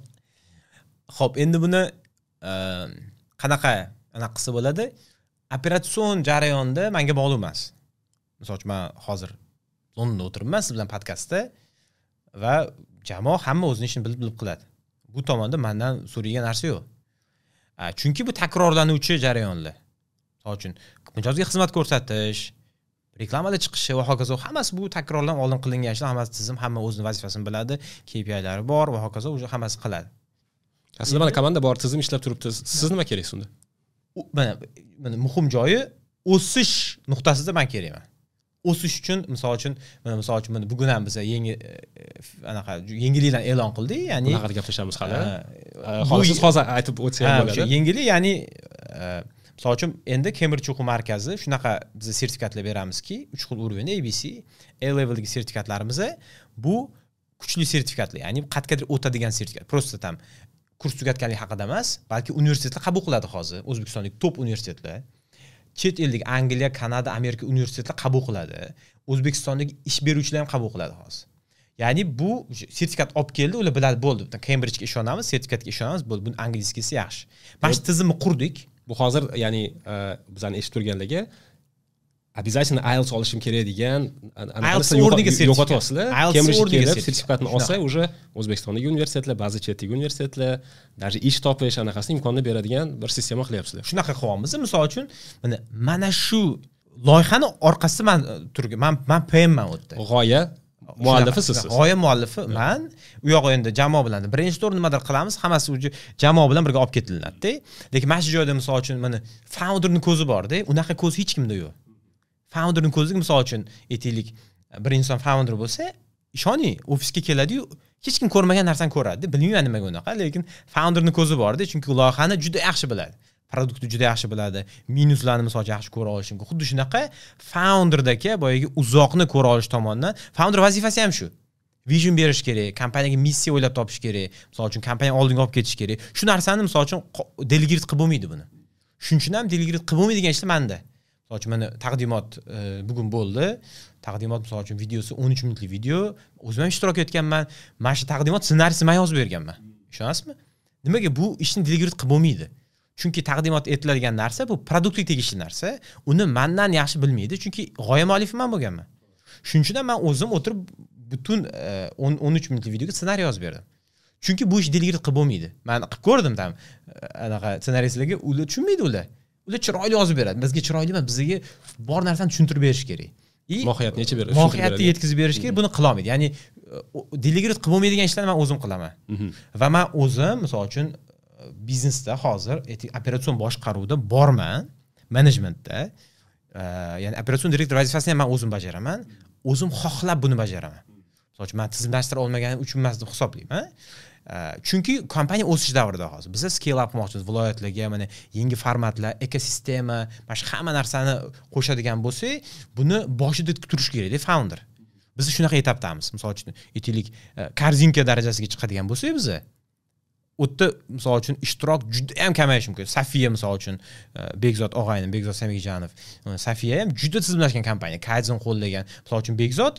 Xo'p, endi buni qanaqa anaqa qilsa bo'ladi? Operatsion jarayonda menga bog'liq emas. Misol uchun men hozir Londonda o'tiribman siz bilan podkastda va jamoa hamma o'zining ishini bilib qiladi. Bu tomonda mendan so'raydigan narsa yo'q. Chunki bu takrorlanuvchi jarayonlar. Misol uchun mijozga xizmat ko'rsatish, reklamada chiqishi va hokazo, hammasi bu takrorlanib oldin qilingan ishlar, hammasi tizim, hamma o'zining vazifasini biladi, KPIlari bor va hokazo, o'sha hammasi qiladi. Aslida mana komanda bor, tizim ishlab turibdi. Siz nima kerak unda? Mana muhim joyi o'sish nuqtasida men kerakman. O'sish uchun misol uchun mana misol uchun mana bugun ham biz yangi anaqa yangiliklarni e'lon qildik, ya'ni bunaqa gaplashamiz hali. Hozir siz hozir aytib o'tsangiz ham bo'ladi. Yangilik, ya'ni misol uchun endi Cambridge o'quv markazi shunaqa biz sertifikatlar beramizki, 3 xil уровень ABC, A leveldagi sertifikatlarimiz bu kuchli sertifikatlar, ya'ni qayergadir o'tadigan sertifikat. Просто там kurs tugatganlik haqida emas, balki universitetlar qabul qiladi hozir, O'zbekistondagi top universitetlar. Chet ellik Angliya, Kanada, Amerika universitetlar qabul qiladi. O'zbekistondagi ish beruvchilar ham qabul qiladi hozir. Ya'ni bu sertifikat olib keldi, ular biladi, bo'ldi. Cambridgega ishonamiz, sertifikatga ishonamiz, bo'ldi. Buni angliyskisi yaxshi. Mana shu tizimni qurdik. Bu hozir, ya'ni bizani eshitib turganlarga Обязательно IELTS olishim kerak degan IELTS o'rniga yo'qotyapsizlar. Cambridge kelib sertifikatni olsa, уже O'zbekistondagi universitetlar, ba'zi chetdagi universitetlar, даже ish topish anaqasini imkonini beradigan bir sistema qilyapsizlar. Shunaqa qilyapmiz. Misol uchun, mana shu loyihani orqasida man turgan, man PMman u yerda. G'oya muallifi siz. G'oya muallifi man. U yog'i endi jamoa bilan brainstorm nimadir qilamiz, hammasi уже jamoa bilan birga olib ketilinadi-da. Lekin mana shu joyda misol uchun mana founderning ko'zi bor-da, unaqa ko'z hech kimda yo'q. Founderning ko'ziga misol uchun aytaylik, bir inson founder bo'lsa, ishoning, ofisga keladi-yu, hech kim ko'rmagan narsani ko'radi. Bilmayman nimaga unaqa, lekin founderning ko'zi bor-da, chunki loyihani juda yaxshi biladi. Produktni juda yaxshi biladi, minuslarni misol uchun yaxshi ko'ra olishi mumkin. Xuddi shunaqa founderdagi boyagi uzoqni ko'ra olish tomonidan founder vazifasi ham shu. Vision berish kerak, kompaniyaga missiya o'ylab topish kerak, misol uchun kompaniya oldinga olib ketish kerak. Shu narsani misol uchun delegate qilib bo'lmaydi buni. Shuning uchun ham delegate qilib bo'lmaydigan ishlar menda. Misol uchun mana taqdimot bugun bo'ldi. Taqdimot misol uchun videosi 13 minutlik video. O'zim ham ishtirok etganman. Mana shu taqdimot ssenariysini men yozib berganman. Ishonasizmi? Nimaga bu ishni delegate qilib bo'lmaydi? Chunki taqdimot etiladigan narsa bu produktga tegishli narsa. Uni mendan yaxshi bilmaydi, chunki g'oya muallifi men bo'lganman. Shuning uchun ham men o'zim o'tirib butun 13 minutlik videoga ssenariy yozib berdim. Chunki bu ish delegate qilib bo'lmaydi. Men qilib ko'rdim tam anaqa ssenaristlarga, ular tushunmaydi ular. Ular chiroyli yozib beradi. Bizga chiroyli emas, bizga bor narsani tushuntirib berish kerak. Mohiyatni yechib berish, mohiyatni yetkazib berish kerak, buni qila olmaydi. Ya'ni delegate qilib bo'lmaydigan ishlarni men o'zim qilaman. Va men o'zim misol uchun biznesda hozir operatsion boshqaruvda borman, menejmentda. Ya'ni operatsion direktor vazifasini ham men o'zim bajaraman. O'zim xohlab buni bajaraman. Misol uchun men tizimlashtira olmaganim uchun emas deb hisoblayman. Chunki kompaniya o'sish davrida hozir. Biz scale up qilmoqchimiz viloyatlarga, mana yangi formatlar, ekosistema, mana shu hamma narsani qo'shadigan bo'lsak, buni boshida turish kerak-da founder. Biz shunaqa etapdamiz. Misol uchun, aytaylik, korzinka darajasiga chiqadigan bo'lsak biz, u yerda misol uchun ishtirok juda ham kamayishi mumkin. Safiya misol uchun, Bekzod og'aynim, Bekzod Samijonov, Safiya ham juda tizimlashgan kompaniya, Kaizen qo'llagan. Misol uchun Bekzod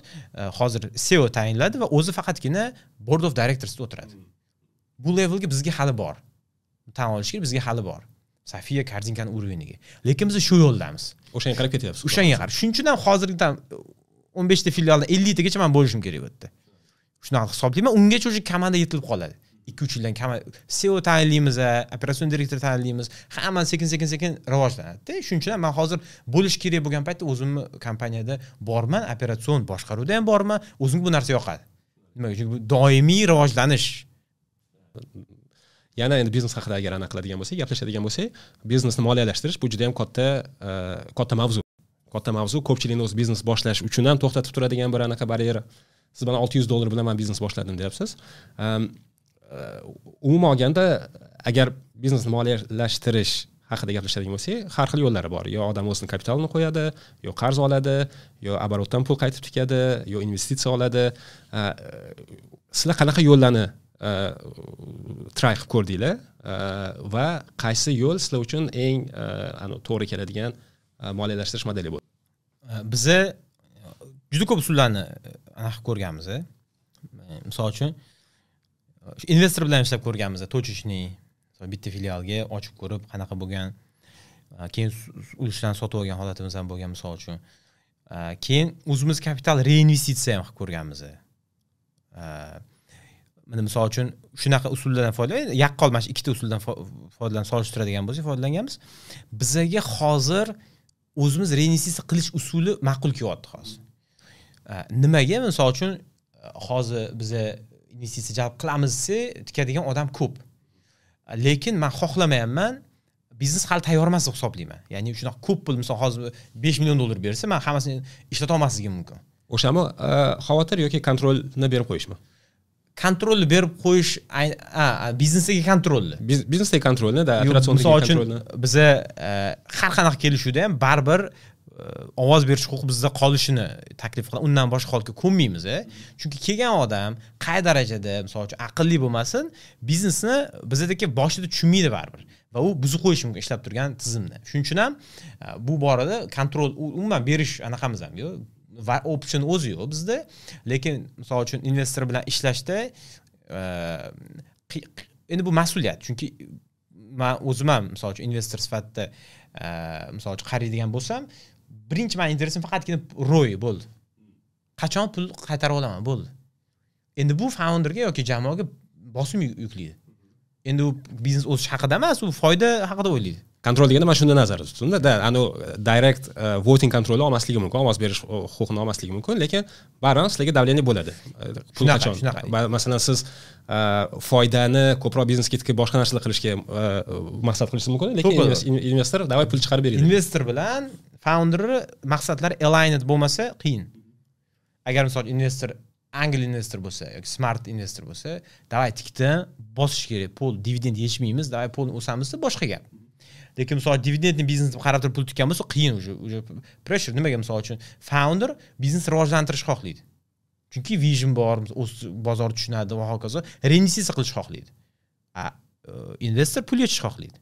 hozir CEO tayinladi va o'zi faqatgina board of directorsda o'tiradi. Bu levelga bizga hali bor. Tan olish kerak, bizga hali bor. Safiya korzinkani уровень iga. Lekin biz shu yo'ldamiz. O'shanga qarab ketyapsiz. O'shanga qarab. Shuning uchun ham hozirgidan 15 ta filialdan 50 tagacha men bo'lishim kerak bu yerda. Shunaqa hisoblayman, ungacha o'sha komanda yetilib qoladi. 2-3 yildan kam CEO tayinlaymiz, operatsion direktor tayinlaymiz, hamma sekin-sekin rivojlanadi-da. Shuning uchun ham men hozir bo'lish kerak bo'lgan paytda o'zimni kompaniyada borman, operatsion boshqaruvda ham borman, o'zimga bu narsa yoqadi. Nimaga? Chunki bu doimiy rivojlanish. Yana endi biznes haqida agar anaqa qiladigan bo'lsak, gaplashadigan bo'lsak, biznesni moliyalashtirish bu juda ham katta katta mavzu. Katta mavzu, ko'pchilikni o'z biznes boshlash uchun ham to'xtatib turadigan bir anaqa baryer. Siz mana $600 bilan men biznes boshladim deyapsiz. Umuman olganda agar biznesni moliyalashtirish haqida gaplashadigan bo'lsak, har xil yo'llari bor. Yo odam o'zining kapitalini qo'yadi, yo qarz oladi, yo оборот dan pul qaytib tikadi, yo investitsiya oladi. Sizlar qanaqa yo'llarni try qilib ko'rdinglar va qaysi yo'l sizlar uchun eng to'g'ri keladigan moliyalashtirish modeli bo'ldi? Biza juda ko'p usullarni anaqa ko'rganmiz. Misol uchun investor bilan ishlab ko'rganmiz, точечный bitta filialga ochib ko'rib qanaqa bo'lgan, keyin ulushlarni sotib olgan holatimiz ham bo'lgan misol uchun. Keyin o'zimiz kapital reinvestitsiya ham qilib ko'rganmiz. Mana misol uchun shunaqa usullardan foydalanib, yaqqol mana shu ikkita usuldan foydalanib solishtiradigan bo'lsak, foydalanganmiz. Bizaga hozir o'zimiz reinvestitsiya qilish usuli ma'qul kelyapti hozir. Nimaga? Misol uchun hozir biza investitsiya jalb qilamiz desa, tikadigan odam ko'p. Lekin men xohlamayapman, biznes hali tayyor emas deb hisoblayman. Ya'ni shunaqa ko'p pul, misol hozir $5 million bersa, men hammasini ishlata olmasligim mumkin. O'shami xavotir yoki kontrolni berib qo'yishmi? Kontrolni berib qo'yish, biznesdagi kontrolni. Biznesdagi kontrolni, da, operatsion kontrolni. Biza har qanaqa kelishuvda ham baribir ovoz berish huquqi bizda qolishini taklif qilamiz. Undan boshqa holga ko'nmaymiz, Chunki kelgan odam qay darajada, misol uchun, aqlli bo'lmasin, biznesni bizdagi boshida tushunmaydi baribir va u buzib qo'yishi mumkin ishlab turgan tizimni. Shuning uchun ham bu borada kontrol umuman berish anaqamiz ham yo'q. Va option o'zi yo'q bizda. Lekin misol uchun investor bilan ishlashda endi bu mas'uliyat. Chunki men o'zim ham misol uchun investor sifatida misol uchun qaraydigan bo'lsam, Birinchi mani интересim faqatgina ROI bo'ldi. Qachon pul qaytarib olaman, bo'ldi. Endi bu founderga yoki jamoaga bosim yuklaydi. Endi u biznes o'sish haqida emas, u foyda haqida o'ylaydi. Kontrol deganda man shunda nazarda tutdimda, da anu direct voting kontroli olmasligi mumkin, ovoz berish huquqini olmasligi mumkin, lekin baribir sizlarga давление bo'ladi. Pul qachon? Masalan, siz foydani ko'proq biznesga tikib boshqa narsalar qilishga maqsad qilishingiz mumkin, lekin investor давай pul chiqarib beradi. Investor bilan founderni maqsadlari aligned bo'lmasa qiyin. Agar misol investor angel investor bo'lsa yoki smart investor bo'lsa, давай tikdan bosish kerak, pul dividend yechmaymiz, давай pulni o'samiz deb boshqa gap. Lekin misol dividendni biznes deb qarab turib pul tikkan bo'lsa qiyin, уже pressure. Nimaga misol uchun founder biznes rivojlantirishni xohlaydi. Chunki vision bor, bozor tushunadi va hokazo, reinvestitsiya qilishni xohlaydi. Investor pul yechishni xohlaydi.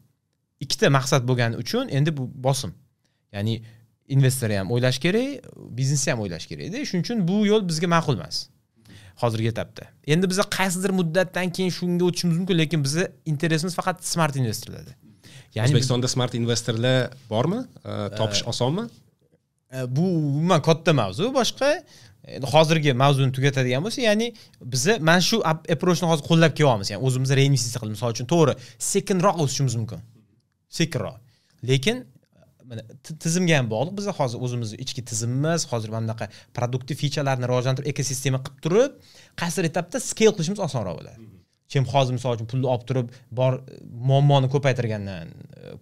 Ikkita maqsad bo'lgani uchun endi bu bosim. Ya'ni investor ham o'ylash kerak, biznes ham o'ylash kerak-da. Shuning uchun bu yo'l bizga ma'qul emas hozirgi etapda. Endi biz qaysidir muddatdan keyin shunga o'tishimiz mumkin, lekin bizni интересimiz faqat smart investorlarda. Ya'ni O'zbekistonda smart investorlar bormi? Topish osonmi? Bu umuman katta mavzu, boshqa. Endi hozirgi mavzuni tugatadigan bo'lsa, ya'ni bizni mana shu approachni hozir qo'llab kelyapmiz. Ya'ni o'zimiz reinvestitsiya qilib, misol uchun to'g'ri, sekinroq o'sishimiz mumkin. Sekinroq. Lekin mana tizimga ham bog'liq. Biz hozir o'zimizni ichki tizimimiz, hozir mana bunaqa produktiv featurelarni rivojlantirib, ekosistema qilib turib, qaysidir etapda scale qilishimiz osonroq bo'ladi. Kim hozir misol uchun pulni olib turib bor muammoni ko'paytirgandan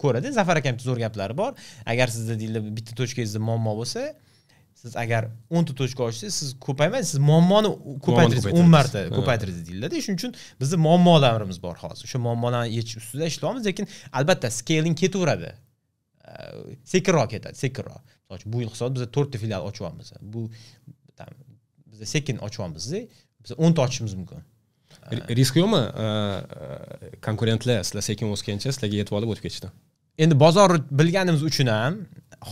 ko'radi. Zafar akamning zo'r gaplari bor. Agar sizda deydi bitta точкangizda muammo bo'lsa, siz agar 10 ta точка ochsangiz, siz ko'paymaysiz, siz muammoni ko'paytirasiz, 10 marta ko'paytirasiz deyiladi. Shuning uchun bizda muammolarimiz bor hozir. O'sha muammolarni yechish ustida ishlaymiz, lekin albatta scaling ketaveradi. Sekinroq ketadi, sekinroq. Misol uchun bu yil hisob biz 4 ta filial ochyapmiz. Bu biz sekin ochyapmiz, biz 10 ta ochishimiz mumkin. Risk yo'qmi? Konkurentlar sizlar sekin o'sgancha sizlarga yetib olib o'tib ketishdi. Endi bozorni bilganimiz uchun ham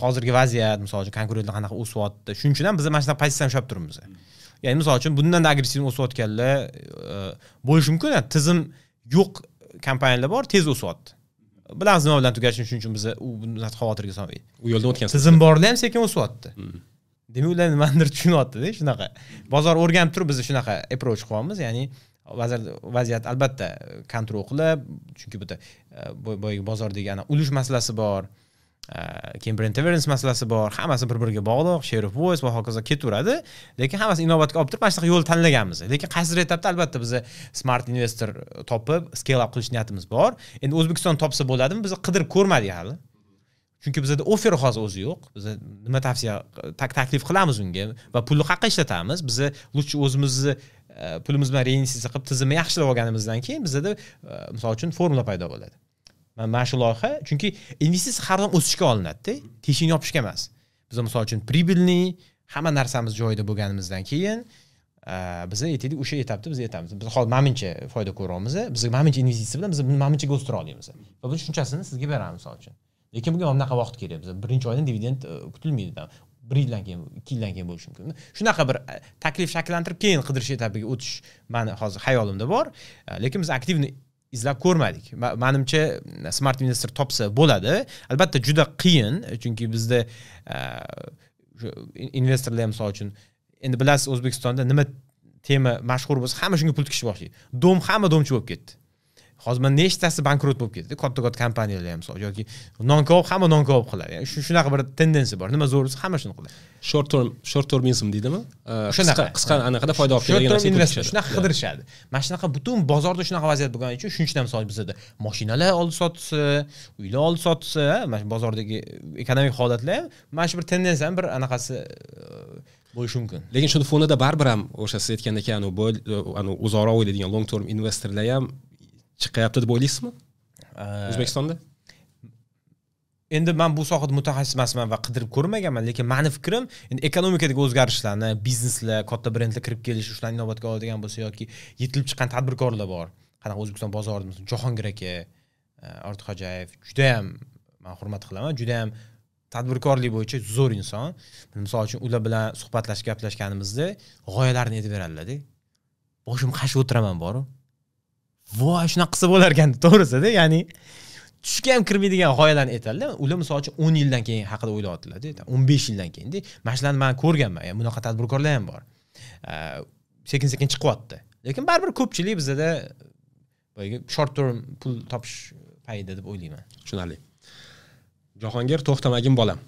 hozirgi vaziyat, misol uchun konkurentlar qanaqa o'syapti, shuning uchun ham biz mana shunaqa pozitsiyani ushlab turibmiz. Ya'ni misol uchun bundan da agressiv o'sayotganlar bo'lishi mumkin. Tizim yo'q kompaniyalar bor, tez o'syapti. Bilamiz nima bilan tugashini, shuning uchun biz u bundan xavotirga solmaydi. U yo'ldan o'tgansiz. Tizim borlar ham sekin o'syapti. Demak, ular nimanidir tushunyapti-da, shunaqa. Bozor o'rganib turib biz shunaqa approach qilyapmiz, ya'ni vaziyat albatta kontrol qilib, chunki bu boyagi bozordagi ana ulush masalasi bor, keyin brand awareness masalasi bor, hammasi bir-biriga bog'liq, share of voice va hokazo ketaveradi, lekin hammasi inobatga olib turib mana shunaqa yo'l tanlaganmiz. Lekin qaysidir etapda albatta biz smart investor topib scale up qilish niyatimiz bor. Endi O'zbekiston topsa bo'ladimi? Biz qidirib ko'rmadik hali. Chunki bizda offer hozir o'zi yo'q. Biz nima tavsiya taklif qilamiz unga va pulni qayerga ishlatamiz? Biz лучше o'zimizni pulimiz bilan reinvestitsiya qilib tizimni yaxshilab olganimizdan keyin bizda misol uchun formula paydo bo'ladi. Mana shu loyiha, chunki investitsiya har doim o'sishga olinadi-da, teshikni yopishga emas. Biz misol uchun прибыльный hamma narsamiz joyida bo'lganimizdan keyin biz aytaylik o'sha etapda biz aytamiz. Biz hozir mamincha foyda ko'ryapmiz, biz mamincha investitsiya bilan biz maminchaga o'stira olamiz. Va buni shunchasini sizga beramiz misol uchun. Lekin bunga mana bunaqa vaqt kerak. Biz birinchi oydan dividend kutilmaydi. 1 yildan keyin, 2 yildan keyin bo'lishi mumkin. Shunaqa bir taklif shakllantirib keyin qidirish etapiga o'tish meni hozir xayolimda bor. Lekin biz aktivni izlab ko'rmadik. Menimcha smart investor topsa bo'ladi. Albatta juda qiyin, chunki bizda investorlar misol uchun endi bilasiz O'zbekistonda nima tema mashhur bo'lsa hamma shunga pul tikishni boshlaydi. Dom hamma domchi bo'lib ketdi. Hozir mana nechtasi bankrot bo'lib ketdi, katta-katta kompaniyalar ham misol yoki non-koop hamma non-koop qiladi. Ya'ni shunaqa bir tendensiya bor. Nima zo'r bo'lsa hamma shuni qiladi. Short termism deydimi? Shunaqa. Qisqa anaqada foyda olib keladigan narsaga investor shunaqa qidirishadi. Mana shunaqa butun bozorda shunaqa vaziyat bo'lgani uchun shuning uchun ham misol bizda mashinalar oldi sotsa, uylar oldi sotsa, mana shu bozordagi ekonomik holatlar ham mana shu bir tendensiyani bir anaqasi bo'lishi mumkin. Lekin shuni fonida baribir ham o'sha siz aytgandek, anu uzoqroq o'ylaydigan long term investorlar ham chiqyapti deb o'ylaysizmi? O'zbekistonda? Endi men bu sohada mutaxassis emasman va qidirib ko'rmaganman, lekin meni fikrim endi ekonomikadagi o'zgarishlarni, bizneslar, katta brendlar kirib kelishi, shularni inobatga oladigan bo'lsa yoki yetilib chiqqan tadbirkorlar bor. Qanaqa O'zbekiston bozorida masalan Jahongir aka, Ortiqxo'jayev juda ham men hurmat qilaman, juda ham tadbirkorlik bo'yicha zo'r inson. Misol uchun ular bilan suhbatlashib gaplashganimizda g'oyalarni aytib beradilar-da. Boshim qashib o'tiraman boru. Voy, shunaqa qilsa bo'lar ekan, to'g'risida, ya'ni Tushga ham kirmaydigan g'oyalarni aytadilar. Ular misol uchun 10 yildan keyin haqida o'ylayaptilar-da, 15 yildan keyin-da. Mana shularni men ko'rganman. Ya'ni bunaqa tadbirkorlar ham bor. Sekin-sekin chiqyapti. Lekin baribir ko'pchilik bizda boyagi short term pul topish payida deb o'ylayman. Tushunarli. Jahongir to'xtamagin bolam.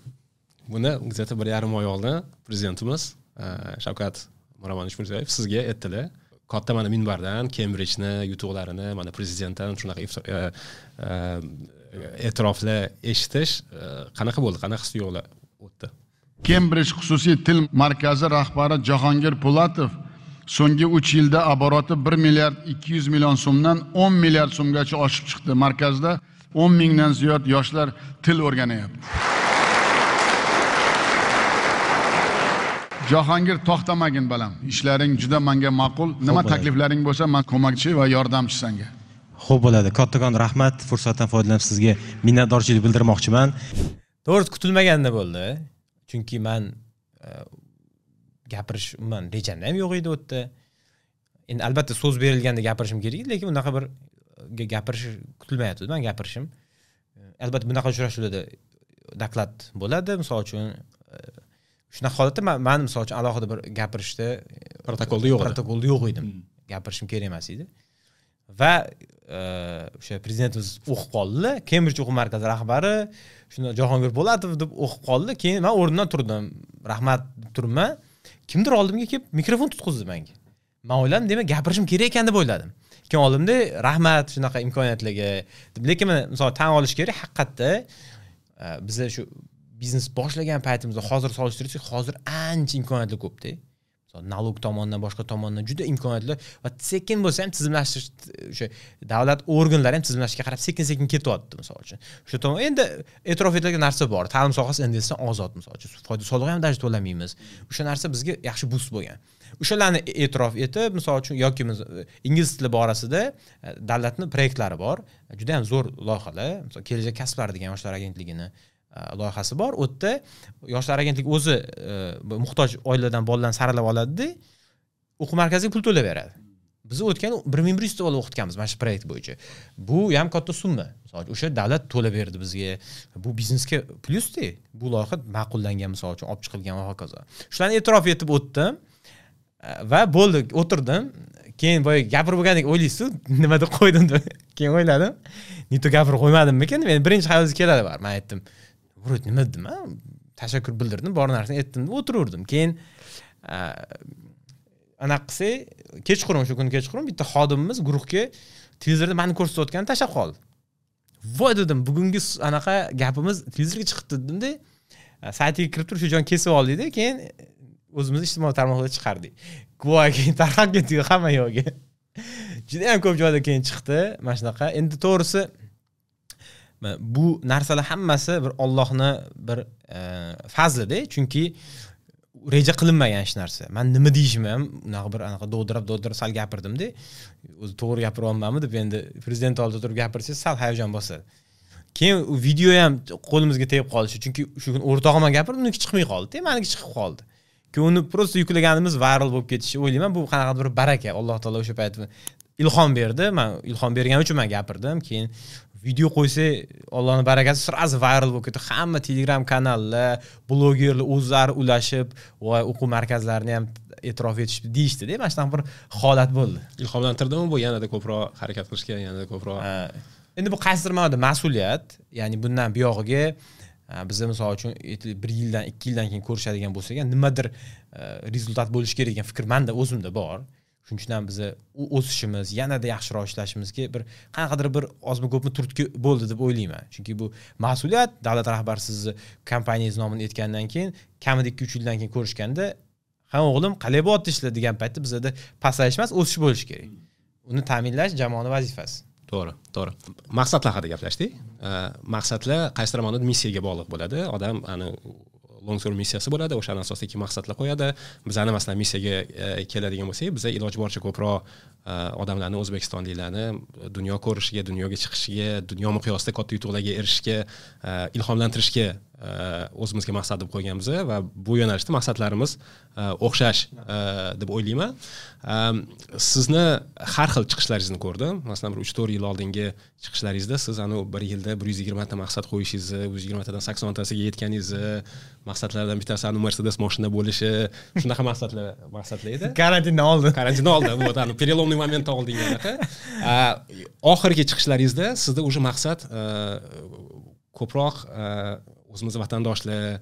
Buni где-то 1,5 oy oldin prezidentimiz Shavkat Miromonovich Mirziyoyev sizga aytdilar. Katta mana minbardan Cambridge'ni yutuqlarini mana prezidentdan shunaqa e'tiroflar eshitish qanaqa bo'ldi? Qanaqa his-tuyg'ular o'tdi? Cambridge xususiy til markazi rahbari Jahongir Po'latov so'nggi 3 yilda aboroti 1 milliard 200 million so'mdan 10 milliard so'mgacha oshib chiqdi. Markazda 10 mingdan ziyod yoshlar til o'rganyapti. Jahongir to'xtamagin balam. Ishlaring juda menga ma'qul. Nima takliflaring bo'lsa, men ko'makchi va yordamchi senga. Xo'p bo'ladi. Kattakon rahmat. Fursatdan foydalanib sizga minnatdorchilik bildirmoqchiman. To'g'risi kutilmaganda bo'ldi. Chunki men gapirish umuman rejamda ham yo'q edi u yerda. Endi albatta so'z berilganda gapirishim kerak edi, lekin unaqa bir gapirish kutilmayapti. Men gapirishim. Albatta bunaqa uchrashuvlarda doklad bo'ladi. Misol uchun shunaqa holatda men misol uchun alohida bir gapirishda protokolda yo'q edi. Protokolda yo'q edim. Gapirishim kerak emas edi. Va o'sha prezidentimiz o'qib qoldilar. Cambridge o'quv markazi rahbari shunda Jahongir Po'latov deb o'qib qoldi. Keyin men o'rnimdan turdim. Rahmat deb turibman. Kimdir oldimga kelib mikrofon tutqizdi menga. Men o'yladim, demak gapirishim kerak ekan deb o'yladim. Keyin oldimda rahmat shunaqa imkoniyatlarga deb, lekin men misol tan olish kerak, haqiqatda biz shu biznes boshlagan paytimizda hozir solishtirsak, hozir ancha imkoniyatlar ko'p-da. Misol nalog tomonidan, boshqa tomondan juda imkoniyatlar va sekin bo'lsa ham tizimlashtirish, o'sha davlat organlari ham tizimlashga qarab sekin-sekin ketyapti misol uchun. O'sha tomon endi e'tirof etilgan narsa bor. Ta'lim sohasi endi ozod misol uchun. Foyda solig'i ham даже to'lamaymiz. O'sha narsa bizga yaxshi boost bo'lgan. O'shalarni e'tirof etib, misol uchun yoki ingliz tili borasida davlatning proyektlari bor. Juda ham zo'r loyihalar. Misol Kelajak kasblari degan yoshlar agentligini loyihasi bor. U yerda yoshlar agentligi o'zi muhtoj oiladan bolalarni saralab oladi-da, o'quv markaziga pul to'lab beradi. Biz o'tgan 1100 ta bola o'qitganmiz mana shu proyekt bo'yicha. Bu ham katta summa. Misol uchun o'sha davlat to'lab berdi bizga. Bu biznesga plyus-da. Bu loyiha ma'qullangan, misol uchun olib chiqilgan va hokazo. Shularni e'tirof etib o'tdim va bo'ldi, o'tirdim. Keyin boya gapirib bo'lgandek o'ylaysiz, nima deb qo'ydim deb. Keyin o'yladim, nito gapirib qo'ymadimmikin? Men birinchi xayolingizga keladi bar. Men aytdim, "Vurut, nima dedim?" Tashakkur bildirdim, bor narsani aytdim, o'tiraverdim. Keyin anaqa qilsak, kechqurun, o'sha kuni kechqurun bitta xodimimiz guruhga televizorda meni ko'rsatayotganini tashlab qoldi. Voy dedim, bugungi anaqa gapimiz televizorga chiqibdi dedim-da. Saytiga kirib turib shu joyni kesib oldik-da, keyin o'zimiz ijtimoiy tarmoqlarda chiqardik. Voy, keyin tarqab ketdi hamma yo'g'i. Juda ham ko'p joyda keyin chiqdi mana shunaqa. Endi to'g'risi bu narsalar hammasi bir Allohni bir fazlida, chunki reja qilinmagan hech narsa. Men nima deyishimni ham unaqa bir anaqa dovdirab sal gapirdim-da. O'zi to'g'ri gapiryapmanmi deb endi prezident oldida turib gapirsangiz sal hayajon bosadi. Keyin u video ham qo'limizga tegib qolishi, chunki shu kun o'rtog'im ham gapirdi, uniki chiqmay qoldi, meniki chiqib qoldi. Keyin uni prosta yuklaganimiz viral bo'lib ketishi o'ylayman, bu qanaqadir bir baraka. Alloh taolo o'sha payt ilhom berdi. Men ilhom bergani uchun men gapirdim. Keyin video qo'ysa, Allohning barakasi sразу viral bo'lib ketdi. Hamma Telegram kanallar, blogerlar o'zlari ulashib, voy o'quv markazlarini ham e'tirof etishdi deyishdi-da. Mana shunaqa bir holat bo'ldi. Ilhomlantirdimi bu yanada ko'proq harakat qilishga, yanada ko'proq? Endi bu qaysidir ma'noda mas'uliyat, ya'ni bundan buyog'iga bizda misol uchun 1 yildan, 2 yildan keyin ko'rishadigan bo'lsak, nimadir rezultat bo'lishi kerak degan fikr menda o'zimda bor. Shuning uchun ham biza o'sishimiz, yanada yaxshiroq ishlashimizga bir qanaqadir bir ozmi ko'pmi turtki bo'ldi deb o'ylayman. Chunki bu mas'uliyat, davlat rahbari sizni kompaniyangiz nomini aytgandan keyin kamida 2-3 yildan keyin ko'rishganda, "Ha o'g'lim, qalay bo'lyapti ishlar?" degan paytda bizada pasayish emas, o'sish bo'lishi kerak. Uni ta'minlash jamoaning vazifasi. To'g'ri, to'g'ri. Maqsadlar haqida gaplashdik. Maqsadlar qaysidir ma'noda missiyaga bog'liq bo'ladi. Odam ana long term missiyasi bo'ladi, o'shani asosida maqsadlar qo'yadi. Bizani masalan missiyaga keladigan bo'lsak, biz iloji boricha ko'proq odamlarni, o'zbekistonliklarni dunyo ko'rishiga, dunyoga chiqishiga, dunyo miqyosida katta yutuqlarga erishishga ilhomlantirishga o'zimizga maqsad deb qo'yganmiz va bu yo'nalishda maqsadlarimiz o'xshash deb o'ylayman. Sizni har xil chiqishlaringizni ko'rdim. Masalan, bir 3-4 yil oldingi chiqishlaringizda siz anu bir yilda 120 ta maqsad qo'yishingizni, 120 tadan 80 tasiga yetganingizni, maqsadlardan bittasi anu Mercedes mashina bo'lishi, shunaqa maqsadlar edi. Karantindan oldin. Karantindan oldin, вот, anu переломный момент dan oldingi anaqa. Oxirgi chiqishlaringizda sizda уже maqsad ko'proq o'zimizni vatandoshlar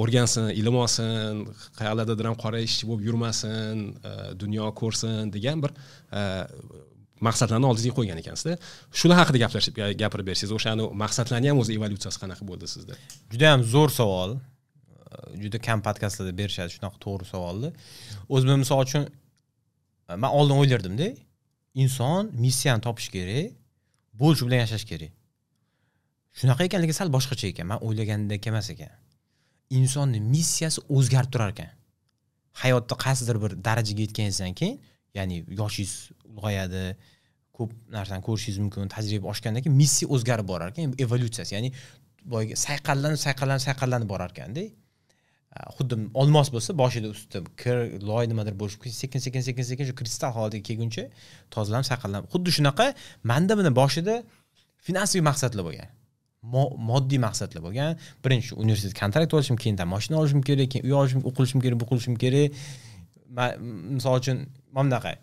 o'rgansin, ilm olsin, qayerlardadir ham qora ishchi bo'lib yurmasin, dunyo ko'rsin degan bir maqsadlarni oldingizga qo'ygan ekansizda. Shular haqida gapirib bersangiz, o'shani maqsadlarni ham o'zi evolyutsiyasi qanaqa bo'ldi sizda? Juda ham zo'r savol. Juda kam podkastlarda berishadi shunaqa to'g'ri savolni. O'zim, misol uchun, man oldin o'ylardimda, inson missiyani topish kerak, bo'ldi, shu bilan yashash kerak. Shunaqa ekanligi sal boshqacha ekan, man o'ylagandek emas ekan. Insonni missiyasi o'zgarib turar ekan. Hayotda qaysidir bir darajaga yetganingizdan keyin, ya'ni yoshingiz ulg'ayadi, ko'p narsani ko'rishingiz mumkin, tajriba oshgandan keyin missiya o'zgarib borar ekan, evolyutsiyasi, ya'ni boyagi sayqallanib, sayqallanib, sayqallanib borar ekanda. Xuddi olmos bo'lsa, boshida ustida kir, loy, nimadir bo'lishi, sekin, sekin, sekin, sekin shu kristal holatiga kelguncha tozalanib, sayqallanib. Xuddi shunaqa manda buni boshida finansiy maqsadlar bo'lgan, moddiy maqsadlar bo'lgan. Birinchi universitet kontrakt olishim, keyin mashina olishim kerak, keyin uy olishim, o'qilishim kerak, bu qilishim kerak. Man, misol uchun, mana bunaqa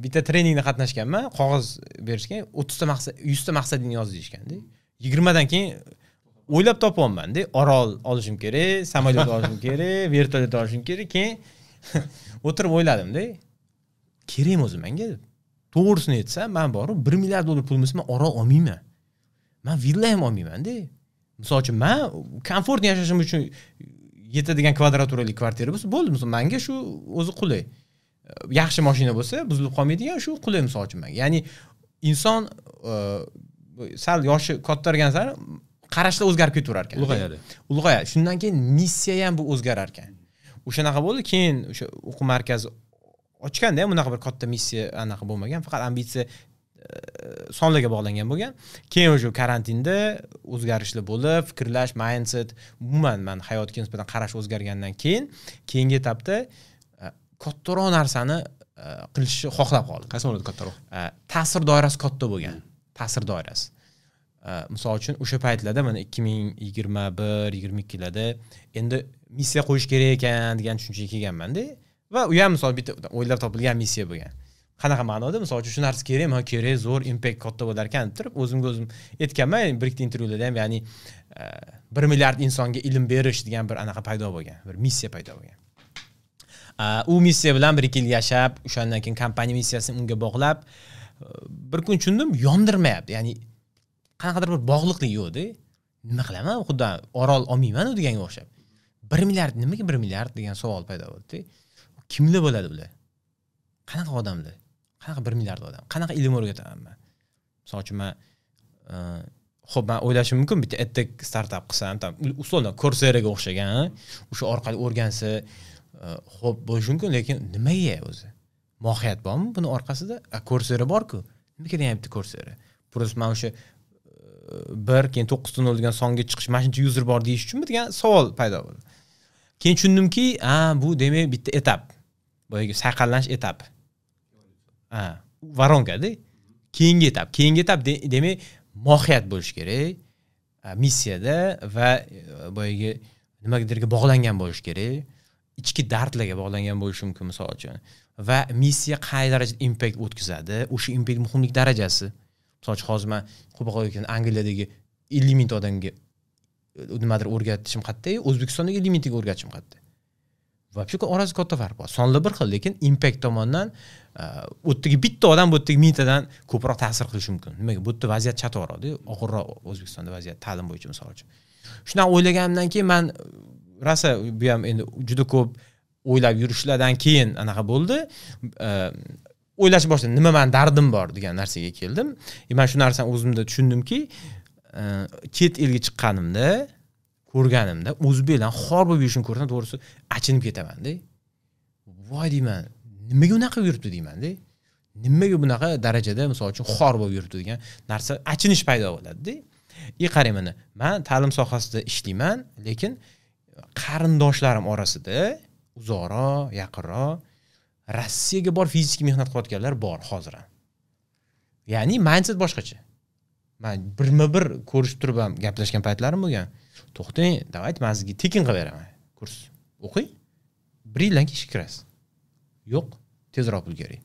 bitta treningda qatnashganman, qog'oz berishgan, 30 ta maqsad, 100 ta maqsadingni yoz deyishganda, 20 dan keyin o'ylab topyapmanda, orol olishim kerak, samolyot olishim kerak, vertolyot olishim kerak. Keyin o'tirib o'yladimda, kerakmi o'zi manga deb. To'g'risini aytsam, man borib 1 milliard dollar pulim bo'lsa, man orol olmayman, man villa ham olmaymanda. Misol uchun, man комфортно yashashim uchun yetadigan kvadraturali kvartira bo'lsa, bo'ldi. Misol, manga shu o'zi qulay. Yaxshi mashina bo'lsa, buzilib qolmaydigan, shu qulay, misol uchun, manga. Ya'ni inson sal yoshi kattargan sari qarashlar o'zgarib ketaverar ekan. Ulg'ayadi. Ulg'ayadi. Shundan keyin missiya ham bu o'zgarar ekan. O'shanaqa bo'ldi. Keyin o'sha o'quv markazi ochganda ham unaqa bir katta missiya anaqa bo'lmagan, faqat ambitsiya sonlarga bog'langan bo'lgan. Keyin o'sha karantinda o'zgarishlar bo'lib, fikrlash, mindset, umuman man hayotga nisbatan qarash o'zgargandan keyin keyingi etapda kattaroq narsani qilishni xohlab qoldim. Qaysi ma'noda kattaroq? Ta'sir doirasi katta bo'lgan, ta'sir doirasi. Misol uchun, o'sha paytlarda, mana 2021, 22larda endi missiya qo'yish kerak ekan degan tushunchaga kelganmanda. Va u ham, misol, bitta o'ylab topilgan missiya bo'lgan. Qanaqa ma'noda? Misol uchun, shu narsa kerakmi? Ha, kerak, zo'r, impact katta bo'lar ekan deb turib o'zimga o'zim aytganman bir ikkita intervyularda ham. Ya'ni 1 milliard insonga ilm berish degan bir anaqa paydo bo'lgan, bir missiya paydo bo'lgan. U missiya bilan bir ikki yil yashab, o'shandan keyin kompaniya missiyasini unga bog'lab, bir kun tushundim, yondirmayapti, ya'ni qanaqadir bir bog'liqlik yo'qda. Nima qilaman, xuddi orol olmaymanu deganga o'xshab. 1 milliard, nimaga 1 milliard degan savol paydo bo'ldida. Kimlar bo'ladi bular, qanaqa odamlar, qanaqa 1 milliard odam, qanaqa ilm o'rgataman man? Misol uchun, man ho'p, man o'ylashim mumkin, bitta edtech startap qilsam, там, условно, Courseraga o'xshagan, o'sha orqali o'rgansa, ho'p, bo'lishi mumkin, lekin nimaga o'zi? Mohiyat bormi buni orqasida? Coursera borku, nima kerak yana bitta Coursera? Просто man o'sha bir, keyin to'qqizta nol degan songa chiqish, mana shuncha user bor deyish uchunmi degan savol paydo bo'ldi. Keyin tushundimki, a, bu demak bitta etap, boyagi sayqallanish etapi, ha, воронка da keyingi etap. Keyingi etap demak mohiyat bo'lishi kerak missiyada va boyagi nimagadirga bog'langan bo'lishi kerak, ichki dardlarga bog'langan bo'lishi mumkin, misol uchun. Va missiya qay darajada impact o'tkazadi, o'sha impact muhimlik darajasi. Misol uchun, hozir man Angliyadagi 50 mingta odamga nimadir o'rgatishim qayerda, O'zbekistondagi 50 mingtaga o'rgatishim qayerda? Вообще orasida katta farq bor. Sonlar bir xil, lekin impact tomondan u yerdagi bitta odam bu yerdagi mingtadan ko'proq ta'sir qilishi mumkin. Nimaga? Bu yerda vaziyat chatoqroqda, og'irroq O'zbekistonda vaziyat ta'lim bo'yicha, misol uchun. Shunaqa o'ylaganimdan keyin man rosa, bu ham endi juda ko'p o'ylab yurishlardan keyin anaqa bo'ldi, o'ylashni boshladim, nima mani dardim bor degan narsaga keldim. И man shu narsani o'zimda tushundimki, chet elga chiqqanimda, ko'rganimda, o'zbeklarni xor bo'lib yurishini ko'rsam, to'g'risi, achinib ketamanda. Voy, deyman, nimaga unaqa yuribdi deymanda, nimaga bunaqa darajada, misol uchun, xor bo'lib yuribdi degan narsa, achinish paydo bo'ladida. И qarang, mana man ta'lim sohasida ishlayman, lekin qarindoshlarim orasida uzoqroq, yaqinroq Rossiyaga borib fizik mehnat qilayotganlar bor hozir ham. Ya'ni mindset boshqacha. Man birma-bir ko'rishib turib ham gaplashgan paytlarim bo'lgan. To'xtang, давайте man sizga tekin qilib beraman kurs. O'qing. Bir yildan keyin ishga kirasiz. Yo'q, tezroq pul kerak.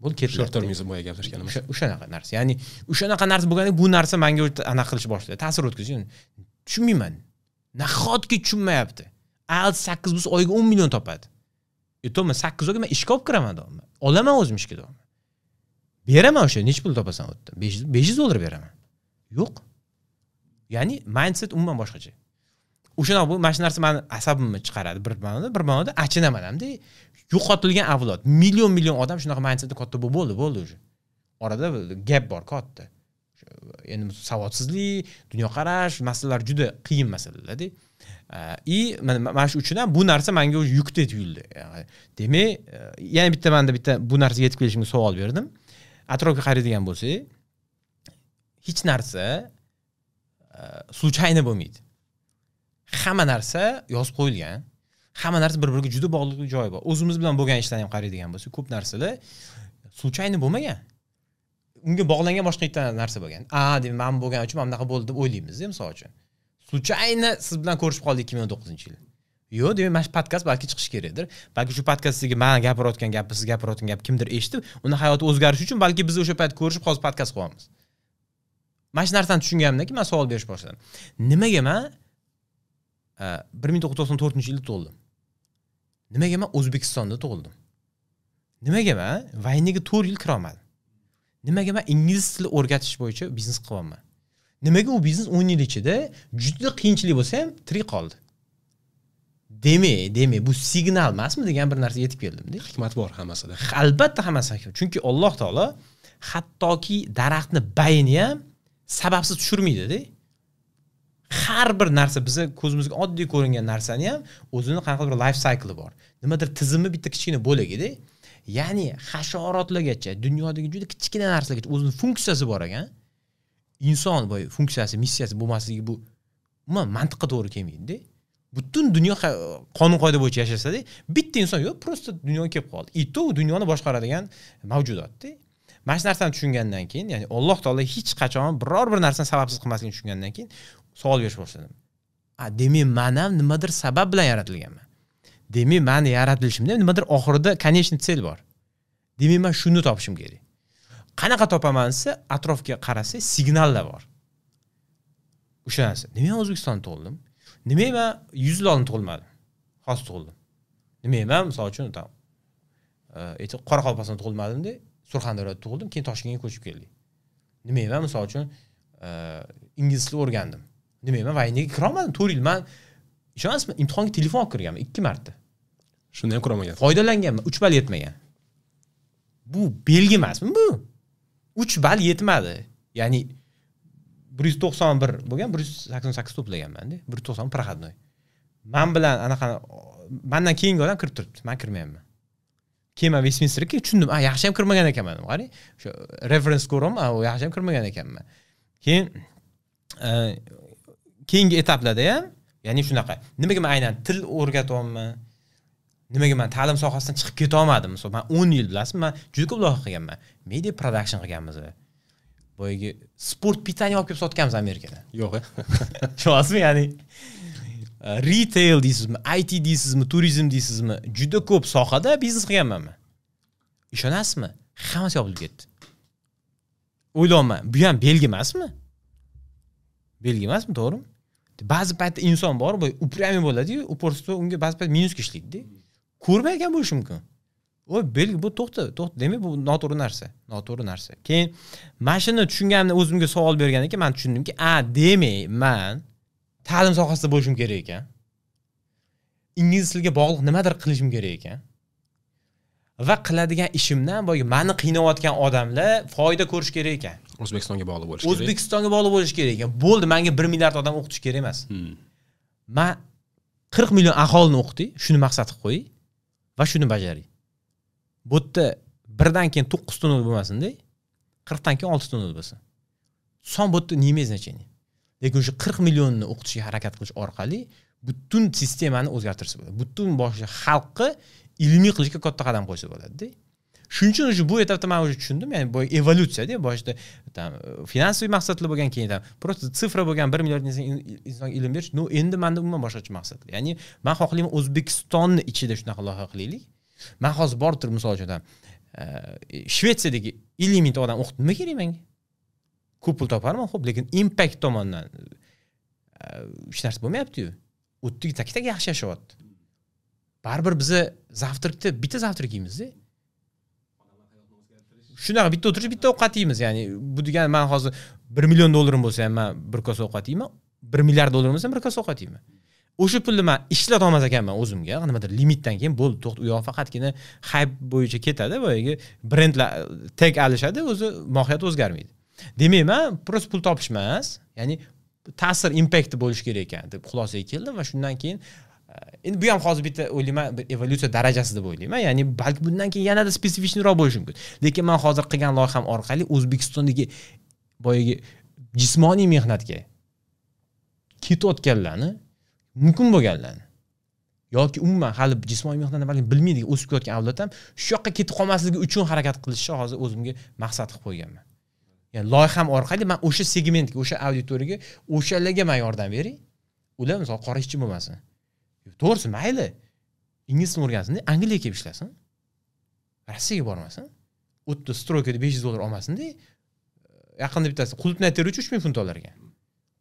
Bo'ldi, ketiladi. Short termizm boya gaplashganimiz. O'shanaqa narsa. Ya'ni o'shanaqa narsa bo'lganda bu narsa menga anaqa qilish boshladi, ta'sir o'tkazdi. Tushunmayman. Nahotki tushunmayapti. IELTS 8 bo'lsa oyiga 10 million topadi. Aytaman 8 oyga men ishga olib kiraman doim. Olaman o'zim ishga doim. Beraman o'sha, necha pul topasan u yerda? $500 beraman. Yo'q. Ya'ni mindset umuman boshqacha. O'shana bu mana shu narsa meni asabimni chiqaradi bir ma'noda, bir ma'noda achinaman hamda yo'qotilgan avlod, million million odam shunaqa mindsetda katta bo'ldi, bo'ldi уже. Orada gap bor katta. Endi savodsizlik, dunyoqarash masalalar juda qiyin masalalar-da. И mana shu uchun ham bu narsa menga уже yukdek tuyuldi. Demak, yana bitta menda bitta bu narsaga yetib kelishimga savol berdim. Atrofga qaraydigan bo'lsak, hech narsa случайно bo'lmaydi. Hamma narsa yozib qo'yilgan. Hamma narsa bir-biriga juda bog'liq joyi bor. O'zimiz bilan bo'lgan ishlarni ham qaraydigan bo'lsak, ko'p narsalar случайно bo'lmagan. Unga bog'langan boshqa bitta narsa bo'lgan. A, demak, men bo'lgan uchun mana bunaqa bo'ldi deb o'ylaymiz-da, misol uchun. Случайно siz bilan ko'rishib qoldik 2019-yil. Yo'q, demak, mana shu podkast balki chiqishi kerakdir. Balki shu podkastdagi men gapirayotgan gapni, siz gapirayotgan gap kimdir eshitib, uni hayoti o'zgarishi uchun balki biz o'sha payt ko'rishib hozir podkast qilyapmiz. Mana shu narsani tushunganimdan keyin men savol berish boshladim. Nimaga men 1994-yilda tug'ildim? Nimaga men O'zbekistonda tug'ildim? Nimaga men vayniga 4 yil kira olmadim? Nimaga men ingliz tili o'rgatish bo'yicha biznes qilyapman? Nimaga u biznes 10 yil ichida juda qiyinchilik bo'lsa ham tirik qoldi? Demak, bu signal emasmi degan bir narsaga yetib keldimda. Hikmat bor hammasida. Albatta hammasi hikmat. Chunki Alloh taolo hattoki daraxtni bayini ham sababsiz tushirmaydi-da. Har bir narsa biza ko'zimizga oddiy ko'ringan narsani ham o'zini qanaqadir bir life cycle bor. Nimadir tizimi bitta kichkina bo'lagida. Ya'ni hasharotlargacha, dunyodagi juda kichkina narsalargacha o'zining funksiyasi bor ekan. Inson boy funksiyasi, missiyasi bo'lmasligi bu umuman mantiqqa to'g'ri kelmaydi-da. Butun dunyo qonun qoida bo'yicha yashasa-da, bitta inson yo'q, просто dunyoga kelib qoldi. И то dunyoni boshqaradigan mavjudot-da. Mana shu narsani tushungandan keyin, ya'ni Alloh taolo hech qachon biror bir narsani sababsiz qilmasligini tushungandan keyin savol berish boshladim. A, demak, men ham nimadir sabab bilan yaratilganman. Demak, meni yaratilishimda nimadir oxirida конечный цель bor. Demak, men shuni topishim kerak. Qanaqa topaman desa, atrofga qarasak, signallar bor. O'sha narsa. Nima men O'zbekistonda tug'ildim? Nima men 100 yil oldin tug'ilmadim? Hozir tug'ildim. Nima men misol uchun tam Qoraqalpog'istonda tug'ilmadim-da, Surxondaryoda tug'ildim, keyin Toshkentga ko'chib keldik. Nima men misol uchun ingliz tilini o'rgandim. Nima men vayniga kira olmadim 4 yil. Men ishonasizmi, imtihonga telefon olib kirganman 2 marta. Shunda ham kira olmagan. Foydalanganman, 3 ball yetmagan. Bu belgi emasmi bu? 3 ball yetmadi. Ya'ni 191 bo'lgan, 188 to'plaganman-da. 190 проходной. Men bilan anaqa mendan keyingi odam kirib turibdi, men kirmayapman. Keyin men Westminsterga tushundim, a yaxshi ham kirmagan ekanman dedim. Qarang, o'sha reference ko'raman, u yaxshi ham kirmagan ekanman. Keyin keyingi etaplarda ham, ya'ni shunaqa. Nimaga men aynan til o'rgatyapman? Nimaga men ta'lim sohasidan chiqib keta olmadim? Misol, men 10 yil bilasizmi, men juda ko'p loyiha qilganman. Media production qilganmiz. Boyagi sport pitani olib kelib sotganmiz Amerikada. Yo'q. Tushunasizmi? Ya'ni retail deysizmi, IT deysizmi, turizm deysizmi, juda ko'p sohada biznes qilganman men. Ishonasizmi? Hammasi yopilib ketdi. O'ylayapman, bu ham belgi emasmi? Belgi emasmi, to'g'rimi? Ba'zi paytda inson bor, bu упрямый bo'ladi-yu, упорство unga ba'zi payt minusga ishlaydi-da. Ko'rmagan bo'lishi mumkin. O belgi bu to'xta, to'xta, demak bu noto'g'ri narsa, noto'g'ri narsa. Keyin mana shuni tushunganimda o'zimga savol bergandan keyin men tushundimki, a, demak, men ta'lim sohasida bo'lishim kerak ekan. Ingliz tiliga bog'liq nimadir qilishim kerak ekan. Va qiladigan ishimdan boyagi meni qiynayotgan odamlar foyda ko'rish kerak ekan. O'zbekistonga bog'liq bo'lish kerak. O'zbekistonga bog'liq bo'lish kerak ekan. Bo'ldi, menga 1 milliard odam o'qitish kerak emas. Men 40 million aholini o'qiting, shuni maqsad qilib qo'ying va shuni bajaring. Bu yerda birdan keyin 9 ta nol bo'lmasin-da, 40 dan keyin 6 ta nol bo'lsin. Son bu yerda не имеет значения. Lekin o'sha 40 millionni o'qitishga harakat qilish orqali butun sistemani o'zgartirsa bo'ladi. Butun boshli xalqni ilmiy qilishga katta qadam qo'ysa bo'ladi-da. Shuning uchun o'sha bu etapda men o'sha tushundim, ya'ni bu evolyutsiya-da, boshida tam finansiy maqsadli bo'lgan, keyin tam просто цифра bo'lgan 1 milliard insonga ilm berish, no endi menda umuman boshqacha maqsadli. Ya'ni men xohlayman O'zbekistonni ichida shunaqa loyiha qilaylik. Men hozir borib turib misol uchun Shvetsiyadagi 50 mingta odam o'qitib nima kerak menga? Ko'p pul toparman, xo'p, lekin impact tomondan hech narsa bo'lmayapti-yu. O'tdagi tak-tak yaxshi yashayapti. Baribir biza zavtrakda bitta zavtrak yeymiz-da. Shunaqa bitta o'tirib bitta ovqat yeymiz. Ya'ni bu degani men hozir 1 million dollarim bo'lsa ham men bir kosa ovqat yeyman, 1 milliard dollarim bo'lsa ham bir kosa ovqat yeyman. O'sha pulni men ishlata olmas ekanman o'zimga, nimadir limitdan keyin bo'ldi, to'xta, u yoq faqatgina hype bo'yicha ketadi, boyagi brendlar tag alishadi, o'zi mohiyati o'zgarmaydi. Demak, men просто pul topish emas, ya'ni ta'sir, impact bo'lishi kerak ekan deb xulosaga keldim va shundan keyin endi bu ham hozir bitta o'ylayman, bir evolyutsiya darajasi deb o'ylayman. Ya'ni balki bundan keyin yanada spesifikroq bo'lishi mumkin. Lekin men hozir qilgan loyiham orqali O'zbekistondagi boyagi jismoniy mehnatga ketayotganlarni, mumkin bo'lganlarni yoki umuman hali jismoniy mehnatni balki bilmaydigan o'sib kelayotgan avlod ham shu yoqqa ketib qolmasligi uchun harakat qilishni hozir o'zimga maqsad qilib qo'yganman. Ya'ni loyiham orqali men o'sha segmentga, o'sha auditoriyaga, o'shalarga men yordam beray. Ular misol qora ishchi bo'lmasin. To'g'risi mayli, ingliz tilini o'rgansin, Angliyaga kelib ishlasin. Rossiyaga bormasin. U yerda stroykada $500 olmasin-da. Yaqinda bittasi qulupnay teruvchi 3000 funt olar ekan.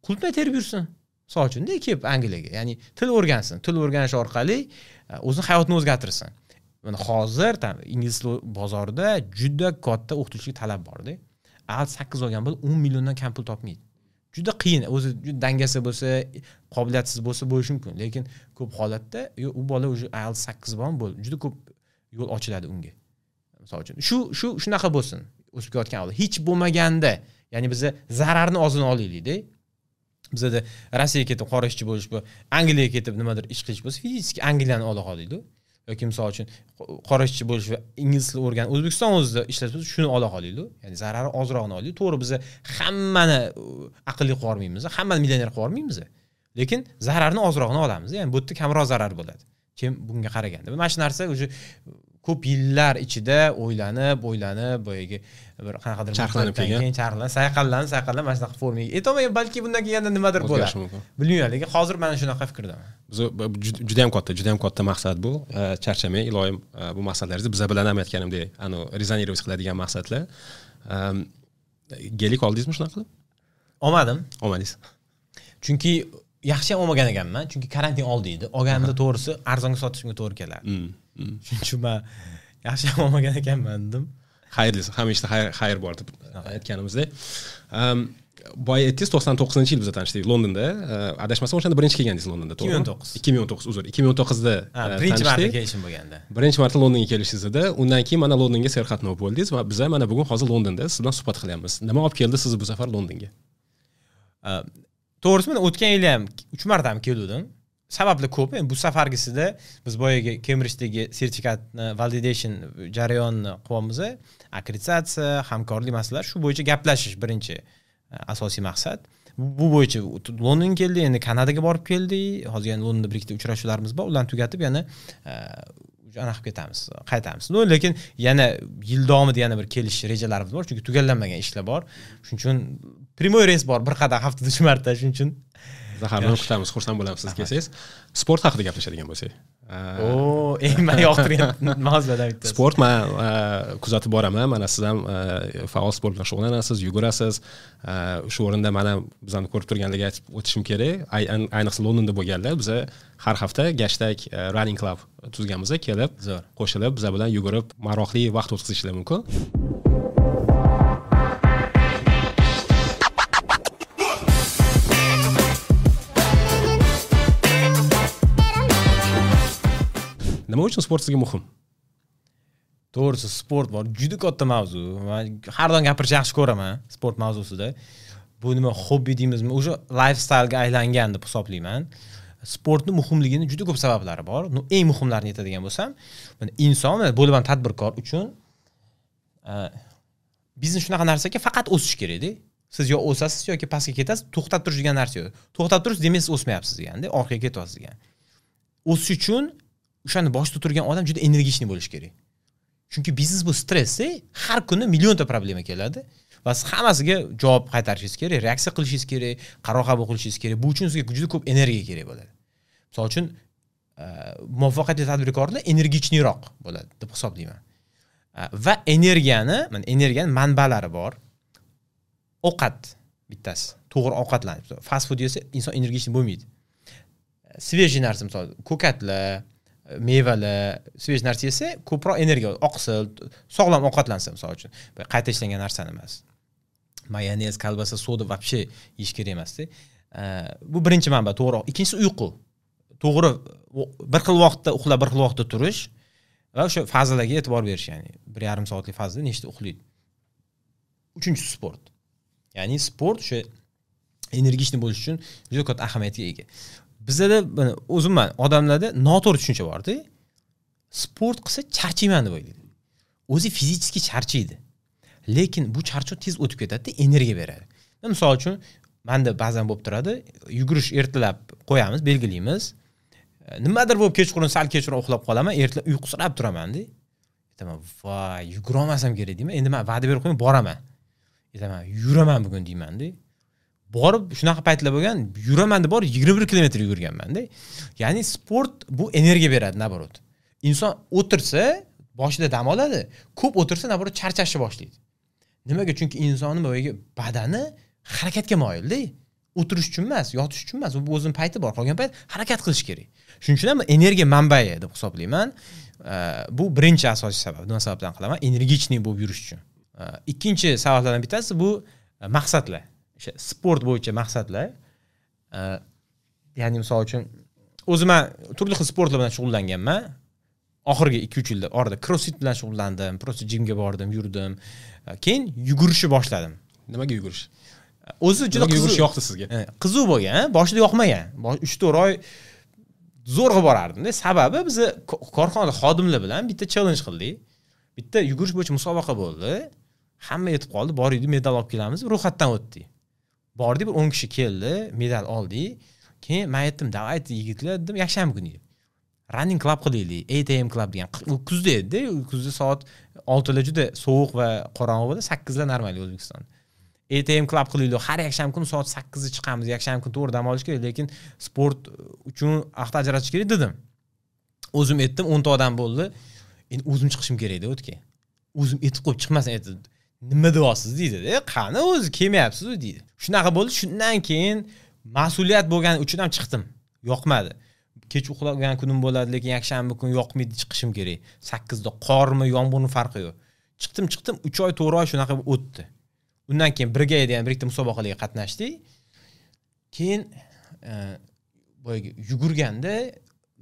Qulupnay terib yursin. Misol uchun-da kelib Angliyaga, ya'ni til o'rgansin. Til o'rganish orqali o'zini hayotini o'zgartirsin. Mana hozir tam ingliz tili bozorida juda katta o'qituvchilik talab bor-da. IELTS 8 olgan bola 10 milliondan kam pul topmaydi. Juda qiyin, o'zi juda dangasa bo'lsa, qobiliyatsiz bo'lsa bo'lishi mumkin, lekin ko'p holatda u bola o'zi IELTS 8 bormi bo'ldi, juda ko'p yo'l ochiladi unga. Misol uchun, shu shunaqa bo'lsin, o'sib kelayotgan avlod. Hech bo'lmaganda, ya'ni biz zararni ozini olaylik-da. Bizada Rossiyaga ketib qora ishchi bo'lish, bu Angliyaga ketib nimadir ish qilish bo'lsa, fizik Angliyani ola qolaydi. Yoki misol uchun qora ishchi bo'lish va ingliz tilini o'rganib O'zbekiston o'zida ishlash bo'lsa, shuni ola qolaylik. Ya'ni zarari ozrog'ini olaylik. To'g'ri, biz hammani aqlli qilib yubormaymiz, hammani millioner qilib yubormaymiz. Lekin zararni ozrog'ini olamiz. Ya'ni bu yerda kamroq zarar bo'ladi. Kim bunga qaraganda. Mana shu narsa o'sha ko'p yillar ichida o'ylanib, o'ylanib, boyagi bir qanaqadir charxlanib kelgan, charxlanib, sayqallanib, sayqallanib mana shunaqa formaga aytolmayman, balki bundan keyin yana nimadir bo'ladi. Bilmayman, lekin hozir mana shunaqa fikrdaman. Biz juda ham katta, juda ham katta maqsad bu. Charchamang, iloyim bu maqsadlaringizni biza bilan ham aytganimdek, ano rezonировать qiladigan maqsadlar. Gelik oldingizmi shunaqa qilib? Olmadim. Olmadingiz. Chunki yaxshi ham olmagan ekanman, chunki karantin oldi edi. Olganimda to'g'risi arzonga sotishimga to'g'ri kelardi. Shuning uchun men yaxshi ham olmagan ekanman dedim. Xayrlisi, hamisha xayr bor deb aytganimizdek. Boya aytdingiz 99-yil biz tanishdik Londonda. Adashmasam o'shanda birinchi kelgandingiz Londonda, to'g'rimi? 2019. 2019, uzr. 2019da birinchi marta kelishim bo'lganda. Birinchi marta Londonga kelishingiz edi. Undan keyin mana Londonga serqatnov bo'ldingiz va biz mana bugun hozir Londonda siz bilan suhbat qilyapmiz. Nima olib keldi sizni bu safar Londonga? To'g'risi men o'tgan yil ham 3 marta ham keldim. Sabablar ko'p. Endi bu safargisida biz boyagi Cambridge'dagi sertifikatni validation jarayonini qilyapmiz. Akkreditatsiya, hamkorlik masalalari, shu bo'yicha gaplashish birinchi asosiy maqsad. Bu bo'yicha Londonga keldik, endi Kanadaga borib keldik. Hozir yana Londonda bir ikkita uchrashuvlarimiz bor. Ularni tugatib yana ana qilib ketamiz, qaytamiz. No, lekin yana yil davomida yana bir kelish rejalarimiz bor, chunki tugallanmagan ishlar bor. Shuning uchun primoy reys bor, bir qadam haftada 3 marta, shuning uchun Zahar bilan kutamiz, xursand bo'lamiz siz kelsangiz. Sport haqida gaplashadigan bo'lsak. O, eng men yoqtirgan mavzulardan bittasi. Sport men kuzatib boraman. Mana siz ham faol sport bilan shug'ullanasiz, yugurasiz. Shu o'rinda mana bizani ko'rib turganlarga aytib o'tishim kerak. Ayniqsa Londonda bo'lganlar, biz har hafta hashtag Running Club tuzganmiz, kelib, qo'shilib, biz bilan yugurib, maroqli vaqt o'tkazishlari mumkin. Nima uchun sport sizga muhim? To'g'risi sport bor, juda katta mavzu. Men har doim gapirishni yaxshi ko'raman sport mavzusida. Bu nima hobbi deymizmi, o'sha lifestyle'ga aylangan deb hisoblayman. Sportning muhimligini juda ko'p sabablari bor. No, eng muhimlarini aytadigan bo'lsam, mana inson, bo'lib ham tadbirkor uchun biznes shunaqa narsaki faqat o'sish kerak-da. Siz yo o'sasiz yoki pastga ketasiz, to'xtab turish degan narsa yo'q. To'xtab turish demak siz o'smayapsiz deganda, orqaga ketyapsiz degan. O'sish uchun o'shani boshida turgan odam juda energichniy bo'lishi kerak. Chunki biznes bu stress, har kuni millionta problema keladi va siz hammasiga javob qaytarishingiz kerak, reaksiya qilishingiz kerak, qaror qabul qilishingiz kerak. Bu uchun sizga juda ko'p energiya kerak bo'ladi. Misol uchun, muvaffaqiyatli tadbirkorlar energichniroq bo'ladi deb hisoblayman. Va energiyani, mana energiyaning manbalari bor. Ovqat bittasi, to'g'ri ovqatlanish. Fast food yesa inson energichniy bo'lmaydi. Svejiy narsa, misol ko'katlar, mevalar, svejiy narsa yesa ko'proq energiya, oqsil, sog'lom ovqatlansa, misol uchun, qayta ishlangan narsani emas. Mayonez, kolbasa, soda вообще yeyish kerak emas-da. Bu birinchi manba, to'g'ri. Ikkinchisi uyqu. To'g'ri, bir xil vaqtda uxlab, bir xil vaqtda turish va o'sha fazalarga e'tibor berish, ya'ni 1,5 soatlik fazada nechta uxlaydi. Uchinchisi sport. Ya'ni sport o'sha energichniy bo'lish uchun juda katta ahamiyatga ega. Bizda o'zimman odamlarda noto'g'ri tushuncha bor-da. Sport qilsa charchayman deb o'ylaydi. O'zi fizически charchaydi. Lekin bu charchoq tez o'tib ketadi, energiya beradi. Misol uchun, menda ba'zan bo'lib turadi, yugurish ertalab qo'yamiz, belgilaymiz. Nimadir bo'lib kechqurun, sal kechroq uxlab qolaman, ertalab uyqusirab turaman-da. Aytaman, voy, yugura olmasam kerak deyman. Endi men va'da berib qo'yman, boraman. Aytaman, yuraman bugun deyman-da. Borib shunaqa paytlar bo'lgan, yuraman deb borib 21 kilometr yugurganman-da. Ya'ni sport bu energiya beradi, naborot. Inson o'tirsa, boshida dam oladi, ko'p o'tirsa naborot charchashni boshlaydi. Nimaga? Chunki insonning boyagi badani harakatga moyil-da. O'tirish uchun emas, yotish uchun emas, bu o'zining payti bor, qolgan payt harakat qilish kerak. Shuning uchun ham energiya manbai deb hisoblayman. Bu birinchi asosiy sabab. Nima sababdan qilaman? Energichniy bo'lib yurish uchun. Ikkinchi sabablardan bittasi bu maqsadlar. O'sha sport bo'yicha maqsadlar. Ya'ni misol uchun o'zim turli xil sportlar bilan shug'ullanganman. Oxirgi 2-3 yilda orada crossfit bilan shug'ullandim, просто jimga bordim, yurdim. Keyin yugurishni boshladim. Nimaga yugurish? O'zi juda qiziq yoqdi sizga. Qiziq bo'lgan, boshida yoqmagan. 3-4 oy zo'rg'a borardim-da. Sababi biz korxonada xodimlar bilan bitta challenge qildik. Bitta yugurish bo'yicha musobaqa bo'ldi. Hamma yetib qoldi, bor edi, medal olib kelamiz, ro'yxatdan o'tdik. Bordik, bir 10 kishi keldi, medal oldik. Keyin men aytdim, "Давайте yigitlar" dedim, yakshanba kuni. Running club qilaylik, 8 AM club degan. U kuzda edi, kuzda soat 6 lar juda sovuq va qorong'u bo'ldi, 8 lar normal O'zbekistonda. 8 AM club qilaylik, har yakshanba kuni soat 8 da chiqamiz, yakshanba kuni to'g'ri dam olish kerak, lekin sport uchun vaqt ajratish kerak dedim. O'zim aytdim, 10 ta odam bo'ldi. Endi o'zim chiqishim kerak edi o'tga. O'zim aytib qo'yib chiqmasam aytdi, nima deyapsiz deydi-da, qani o'zi kelmayapsiz-ku deydi. Shunaqa bo'ldi, shundan keyin mas'uliyat bo'lgani uchun ham chiqdim. Yoqmadi. Kech uxlagan kunim bo'ladi, lekin yakshanba kuni yoqmaydi, chiqishim kerak. 8 da qormi, yomg'irmi farqi yo'q. Chiqdim, 3 oy, 4 oy shunaqa o'tdi. Undan keyin birga degan bir ikkita musobaqalarga qatnashdik. Keyin boyagi yugurganda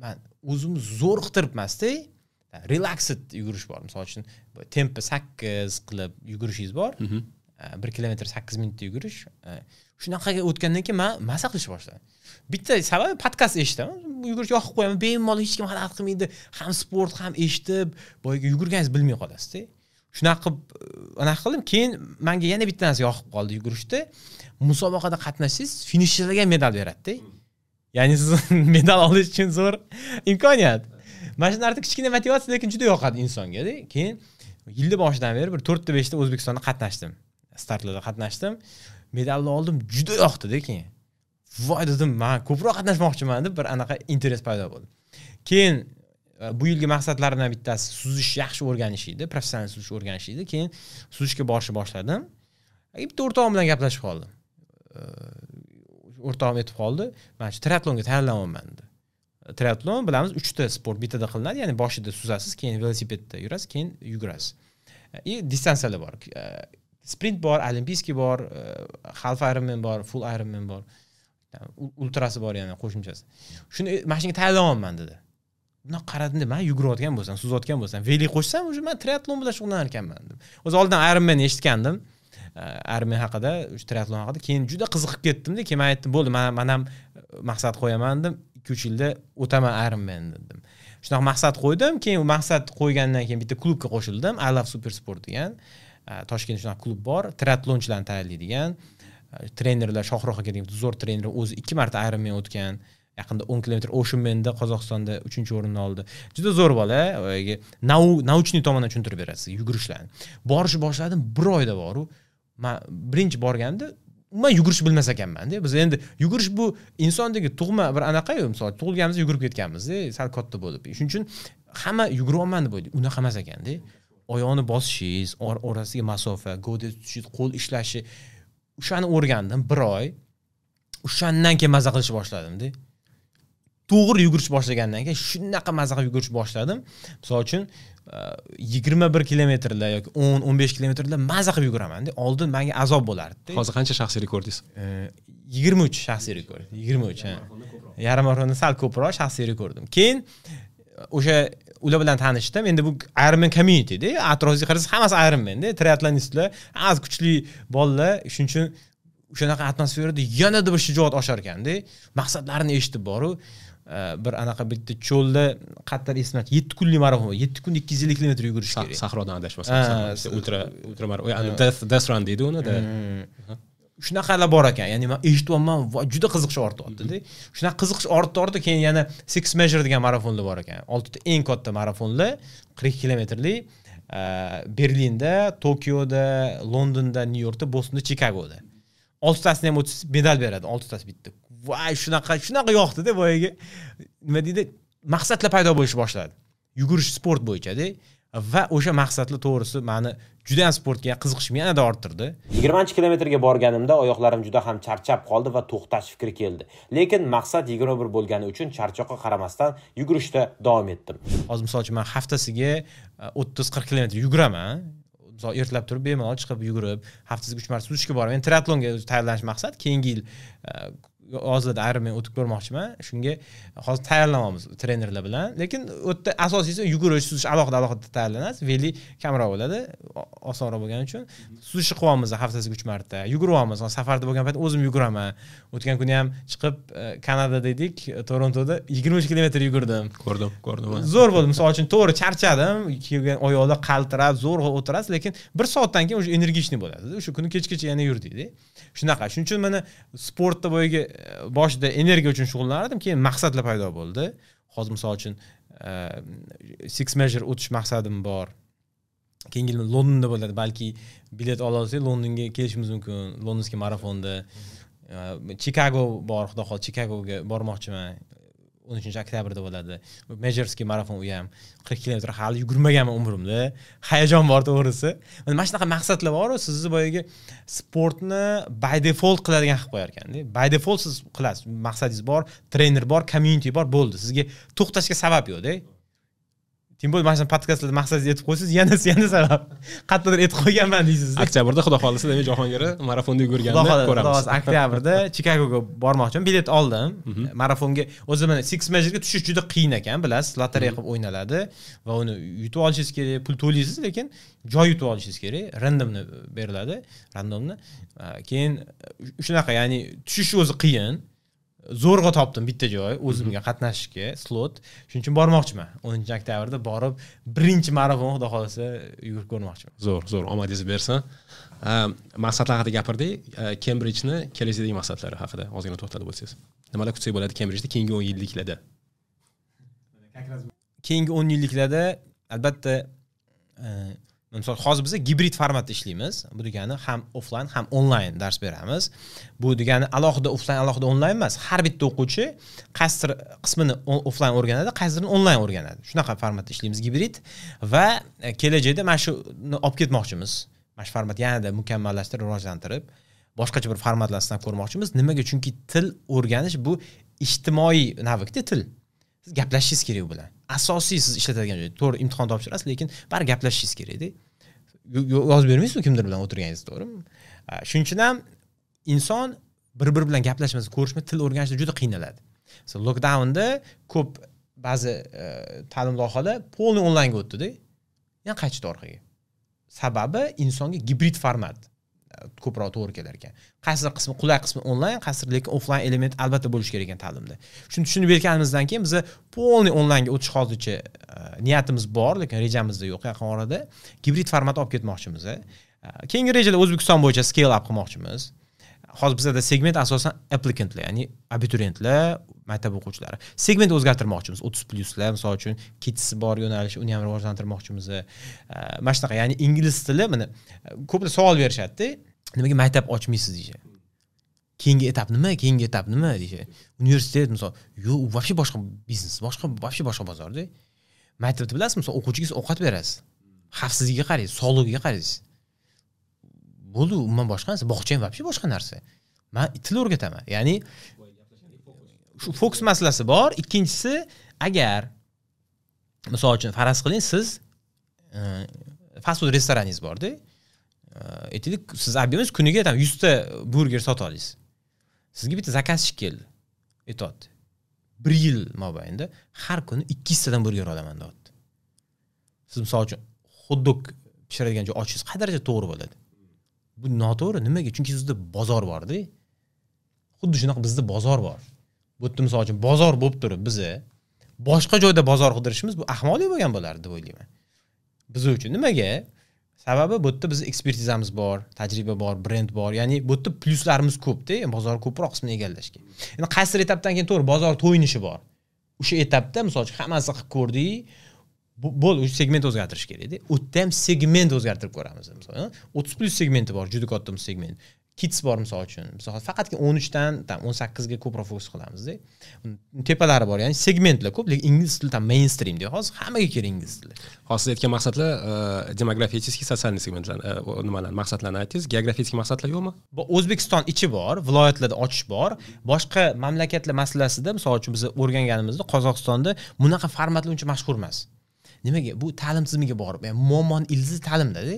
men o'zimni zo'r qitiribmasda, relaxed yugurish bor. Misol uchun tempi 8 qilib yugurishingiz bor. 1 kilometr 8 minutda yugurish. Shunaqaga o'tgandan keyin men maza qilishni boshladim. Bitta sababi podkast eshitaman. Yugurish yoqib qo'yaman, bemalol hech kim xalaqit qilmaydi. Ham sport, ham eshitib, boyagi yugurganingizni bilmay qolasiz-da. Shunaqa qilib anaqa qildim. Keyin menga yana bitta narsa yoqib qoldi yugurishda. Musobaqada qatnashsangiz, finishchilarga medal beradi-da. Ya'ni siz medal olish uchun zo'r imkoniyat. Mana shu narsa kichkina motivatsiya, lekin juda yoqadi insonga-da. Keyin yilni boshidan beri bir 4 ta 5 ta O'zbekistonda qatnashdim. Startlarda qatnashdim. Medalni oldim, juda yoqdi-da keyin. Voy dedim, men ko'proq qatnashmoqchiman deb bir anaqa interes paydo bo'ldi. Keyin bu yilgi maqsadlarimdan bittasi suzish yaxshi o'rganish edi, professional suzish o'rganish edi. Keyin suzishga borishni boshladim. Bitta o'rtog'im bilan gaplashib qoldim. O'rtog'im aytib qoldi, "Men shu triatlonga tayyorlanyapman" dedi. Triatlon bilamiz 3 ta sport bittada qilinadi, ya'ni boshida suzasiz, keyin velosipedda yurasiz, keyin yugurasiz. И distansiyalar bor. Sprint bor, olimpiyskiy bor, half Ironman bor, full Ironman bor. Ultrasi bor yana qo'shimchasi. Shuni mana shunga tayyorlanyapman dedi. Buni qaradim, men yugurayotgan bo'lsam, suzayotgan bo'lsam, veli qo'shsam, o'sha men triatlon bilan shug'ullanar ekanman dedim. O'zi oldin Ironman eshitgandim. Ironman haqida, o'sha triatlon haqida. Keyin juda qiziqib ketdim-da, keyin men aytdim, bo'ldi, men ham maqsad qo'yaman dedim. 2-3 yilda o'taman Ironman dedim. Shunaqa maqsad qo'ydim. Keyin u maqsad qo'ygandan keyin bitta klubga qo'shildim. I Love Super Sport degan. Toshkentda shunaqa klub bor, triatlonchilarni tayyorlaydigan. Trenerlar Shohruh aka degan zo'r trener, o'zi 2 marta Ironman o'tgan. Yaqinda 10 kilometr Oceanman'da Qozog'istonda 3-o'rinni oldi. Juda zo'r bola, boyagi научный tomondan tushuntirib beradi sizga yugurishlarni. Borishni boshladim, bir oyda boru. Men birinchi borganimda umuman yugurish bilmas ekanman-da. Biz endi yugurish bu insondagi tug'ma bir anaqa-yu, misol tug'ilganimizda yugurib ketganmiz-da, sal katta bo'lib. Shuning uchun hamma yuguryapman deb o'ylaydi. Unaqa emas ekanda. Oyoqni bosishingiz, orasiga masofa, gavda tutishingiz, qo'l ishlashi, o'shani o'rgandim bir oy. O'shandan keyin maza qilishni boshladim-da. To'g'ri yugurish boshlagandan keyin shunaqa maza qilib yugurish boshladim. Misol uchun 21 kilometrlar yoki 10-15 kilometrlar maza qilib yuguraman-da. Oldin menga azob bo'lardi. Hozir qancha shaxsiy rekordingiz? 23 shaxsiy rekord. 23, ha. Yarim marafonda sal ko'proq shaxsiy rekordim. Keyin o'sha ular bilan tanishdim. Endi bu Ironman community-da, atrofga qarasangiz hammasi Ironman-da, triatlonistlar, hammasi kuchli bolalar. Shuning uchun o'shanaqa atmosferada yanada bir shijoat oshar ekanda. Maqsadlarini eshitib boru, bir anaqa bitta cho'lda qattiq esimda 7 kunlik marafon, 7 kunda 250 kilometr yugurish kerak. Sahrodan adashmasam, ultra ultra death run deydi uni. Shunaqalar bor ekan. Ya'ni men eshityapman, juda qiziqish ortyapti-da. Shunaqa qiziqish ortdi, keyin yana Six Measure degan marafonlar bor ekan. 6 ta eng katta marafonlar, 40 kilometrli, Berlinda, Tokioda, Londonda, Nyu-Yorkda, Bostonda, Chikagoda. 6 tasini ham o'tsangiz medal beradi, 6 tasi bitta. Voy, shunaqa yoqdi-da boyagi. Nima deydi? Maqsadlar paydo bo'lishi boshladi. Yugurish sport bo'yicha-da. Va o'sha maqsadlar to'g'risi meni juda ham sportga qiziqishimni yanada orttirdi. 20-kilometrga borganimda oyoqlarim juda ham charchab qoldi va to'xtash fikri keldi. Lekin maqsad 21 bo'lgani uchun charchoqqa qaramasdan yugurishda davom etdim. Hozir misol uchun men haftasiga 30-40 kilometr yuguraman. Misol ertalab turib bemalol chiqib yugurib, haftasiga 3 marta suzishga boraman. Men triatlonga tayyorlanish maqsad keyingi yil hozirda Ironman o'tib ko'rmoqchiman. Shunga hozir tayyorlanamiz trenerlar bilan. Lekin u yerda asosiysi yugurish, suzish alohida tayyorlanasiz. Veli kamroq bo'ladi, osonroq bo'lgani uchun. Suzishni qilyapmiz haftasiga 3 marta. Yuguryapmiz. Safarda bo'lgan payt o'zim yuguraman. O'tgan kuni ham chiqib Kanadada edik, Torontoda 23 kilometr yugurdim. Ko'rdim. Zo'r bo'ldi. Misol uchun to'g'ri charchadim, kelgan oyoqlar qaltirab, zo'rg'a o'tirasiz, lekin 1 soatdan keyin o'sha energichniy bo'ladi. O'sha kuni kechgacha yana yurdik-da. Shunaqa. Shuning uchun mana sportda boyagi boshida energiya uchun shug'ullanardim, keyin maqsadlar paydo bo'ldi. Hozir misol uchun Six Measure o'tish maqsadim bor. Keyingi yil Londonda bo'ladi, balki bilet ola olsak Londonga kelishimiz mumkin, Londonskiy marafonda. Chicago bor, xudo xohlasa Chicagoga bormoqchiman. 13-oktyabrda bo'ladi. Majorskiy marafon u ham 40 kilometr hali yugurmaganman umrimda. Hayajon bor to'g'risi. Mana shunaqa maqsadlar bor-ku, sizni boyagi sportni by default qiladigan qilib qo'yar ekanda. By default siz qilasiz. Maqsadingiz bor, trener bor, community bor, bo'ldi. Sizga to'xtashga sabab yo'q-da. Tim bo'ldi, mana shu podkastlarda maqsadingizni aytib qo'ysangiz, yana sabab. Qayerdadir aytib qo'yganman deysiz. Oktyabrda xudo xohlasa demak Jahongir marafonda yugurganini ko'ramiz. Xudo xohlasa oktyabrda Chikagoga bormoqchiman. Bilet oldim. Marafonga o'zi mana Six Measure'ga tushish juda qiyin ekan, bilasiz, lotereya qilib o'ynaladi va uni yutib olishingiz kerak, pul to'laysiz, lekin joy yutib olishingiz kerak. Randomni beriladi, randomni. Keyin shunaqa, ya'ni tushish o'zi qiyin. Zo'rg'a topdim bitta joy o'zimga qatnashishga slot. Shuning uchun bormoqchiman. 10-oktyabrda borib birinchi marafon xudo xohlasa yugurib ko'rmoqchiman. Zo'r, omadingiz bersin. Maqsadlar haqida gapirdik. Cambridge'ni kelajakdagi maqsadlari haqida ozgina to'xtalib o'tsangiz. Nimalar kutsak bo'ladi Cambridge'da keyingi 10 yilliklarda? Keyingi 10 yilliklarda albatta misol hozir biz gibrid formatda ishlaymiz. Bu degani ham offline ham onlayn dars beramiz. Bu degani alohida offline, alohida onlayn emas. Har bitta o'quvchi qaysidir qismini offline o'rganadi, qaysidirini onlayn o'rganadi. Shunaqa formatda ishlaymiz gibrid va kelajakda mana shuni olib ketmoqchimiz. Mana shu format yanada mukammallashtirib, rivojlantirib, boshqacha bir formatlar sinab ko'rmoqchimiz. Nimaga? Chunki til o'rganish bu ijtimoiy navikda til. Siz gaplashishingiz kerak u bilan. Asosiy siz ishlatadigan joy. To'g'ri imtihon topshirasiz, lekin bari gaplashishingiz kerak-da. Yozib bermaysiz kimdir bilan o'tirganingiz, to'g'rimi? Shuning uchun ham inson bir-biri bilan gaplashmasa, ko'rishmasa til o'rganishda juda qiynaladi. Masalan, lockdownda ko'p ba'zi ta'lim loyihalari polni onlaynga o'tdi-da. Yana qaytishdi orqaga. Sababi insonga gibrid format ko'proq to'g'ri kelar ekan. Qaysidir qismi qulay, qismi onlayn, qaysidir lekin offline element albatta bo'lishi kerak ekan ta'limda. Shuni tushunib yetganimizdan keyin biz polni onlaynga o'tish hozircha niyatimiz bor, lekin rejamizda yo'q yaqin orada. Gibrid format olib ketmoqchimiz. Keyingi rejalar O'zbekiston bo'yicha scale up qilmoqchimiz. Hozir bizada segment asosan applicantlar, ya'ni abituriyentlar, maktab o'quvchilari. Segment o'zgartirmoqchimiz. 30 plyuslar, misol uchun, kids bor yo'nalish, uni ham rivojlantirmoqchimiz. Mana shunaqa, ya'ni ingliz tili, mana ko'plar savol berishadi-da, nimaga maktab ochmaysiz deyishadi. Keyingi etap nima? Keyingi etap nima deyishadi. Universitet misol, yo'q, u вообще boshqa biznes, boshqa, вообще boshqa bozorda. Maktabda bilasizmi, misol o'quvchiga siz ovqat berasiz. Xavfsizligiga qaraysiz, sog'ligiga qaraysiz. Bo'ldi, umuman boshqa narsa. Bog'cha ham вообще boshqa narsa. Men til o'rgataman. Ya'ni shu fokus masalasi bor. Ikkinchisi, agar misol uchun faraz qiling, siz fast food restoraningiz borda. Aytaylik, siz объем ingiz kuniga tam 100 ta burger sota olasiz. Sizga bitta заказчик keldi. Aytyapti. 1 yil mobaynida har kuni 200 tadan burger olaman deyapti. Siz misol uchun xot-dog pishiradigan joy ochishingiz qay darajada to'g'ri bo'ladi? Bu noto'g'ri. Nimaga? Chunki sizda bozor bor-da. Xuddi shunaqa bizda bozor bor. Bu yerda misol uchun bozor bo'lib turib, biza boshqa joyda bozor qidirishimiz bu ahmoqlik bo'lgan bo'lardi deb o'ylayman. Biz uchun nimaga? Sababi bu yerda biz ekspertizamiz bor, tajriba bor, brend bor. Ya'ni bu yerda plyuslarimiz ko'p-da, bozor ko'proq qismini egallashga. Endi qaysidir etapdan keyin to'g'ri bozor to'yinishi bor. O'sha etapda misol uchun hammasi qilib ko'rdik, bo'ldi, o'sha segment o'zgartirish kerak-da. U yerda ham segment o'zgartirib ko'ramiz. Masalan, 30 plyus segmenti bor, juda katta segment. Kids bor misol uchun. Misol faqatgina 13 dan tam 18 ga ko'proq fokus qilamiz-da. Tepalari bor, ya'ni segmentlar ko'p, lekin ingliz tili tam mainstream deydi. Hozir hammaga kerak ingliz tili. Hozir siz aytgan maqsadlar demografический, социальный segmentlar, nimalar, maqsadlarni aytdingiz. Geografik maqsadlar yo'qmi? Bu O'zbekiston ichi bor, viloyatlarda ochish bor. Boshqa mamlakatlar masalasida, misol uchun biz o'rganganimizda Qozog'istonda bunaqa formatlar uncha mashhur emas. Nimaga? Bu ta'lim tizimiga borib, ya'ni muammoni ildizi ta'limda-da.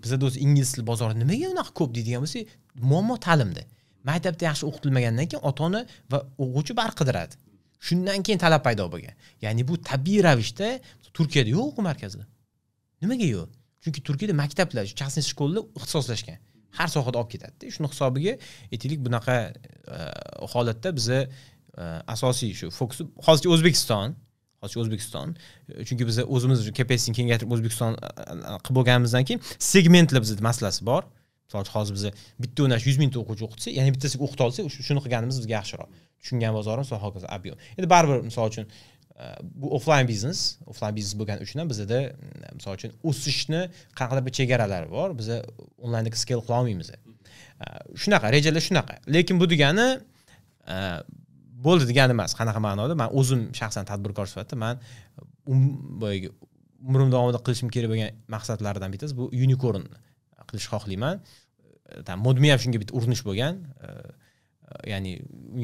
Bizda o'zi ingliz tili bozori nimaga unaqa ko'p deydigan bo'lsak, muammo ta'limda. Maktabda yaxshi o'qitilmagandan keyin ota-ona va o'quvchi barq qidiradi. Shundan keyin talab paydo bo'lgan. Ya'ni bu tabiiy ravishda Turkiyada yo'q o'quv markazlar. Nimaga yo'q? Chunki Turkiyada maktablar, частный школа lar ixtisoslashgan. Har sohada olib ketadi-da. Shuni hisobiga aytaylik, bunaqa holatda biza asosiy shu fokus hozircha O'zbekiston, hozircha O'zbekiston, chunki biz o'zimiz capacity kengaytirib O'zbekiston qilib bo'lganimizdan keyin segmentlar bizda masalasi bor. Misol uchun hozir biz bitta yo'nalish 100 mingta o'quvchi o'qitsak, ya'ni bittasiga o'qita olsak, shuni qilganimiz bizga yaxshiroq. Tushungan bozorimiz va hokazo объем. Endi baribir misol uchun bu offline biznes, offline biznes bo'lgani uchun ham bizda misol uchun o'sishni qanaqadir bir chegaralari bor. Biz onlaynda scale qila olmaymiz. Shunaqa rejalar shunaqa. Lekin bu degani bo'ldi degani emas. Qanaqa ma'noda? Men o'zim shaxsan tadbirkor sifatida men boyagi umrim davomida qilishim kerak bo'lgan maqsadlardan bittasi bu unicorn qilish xohlayman. Tam Modmi ham shunga bitta urinish bo'lgan. Ya'ni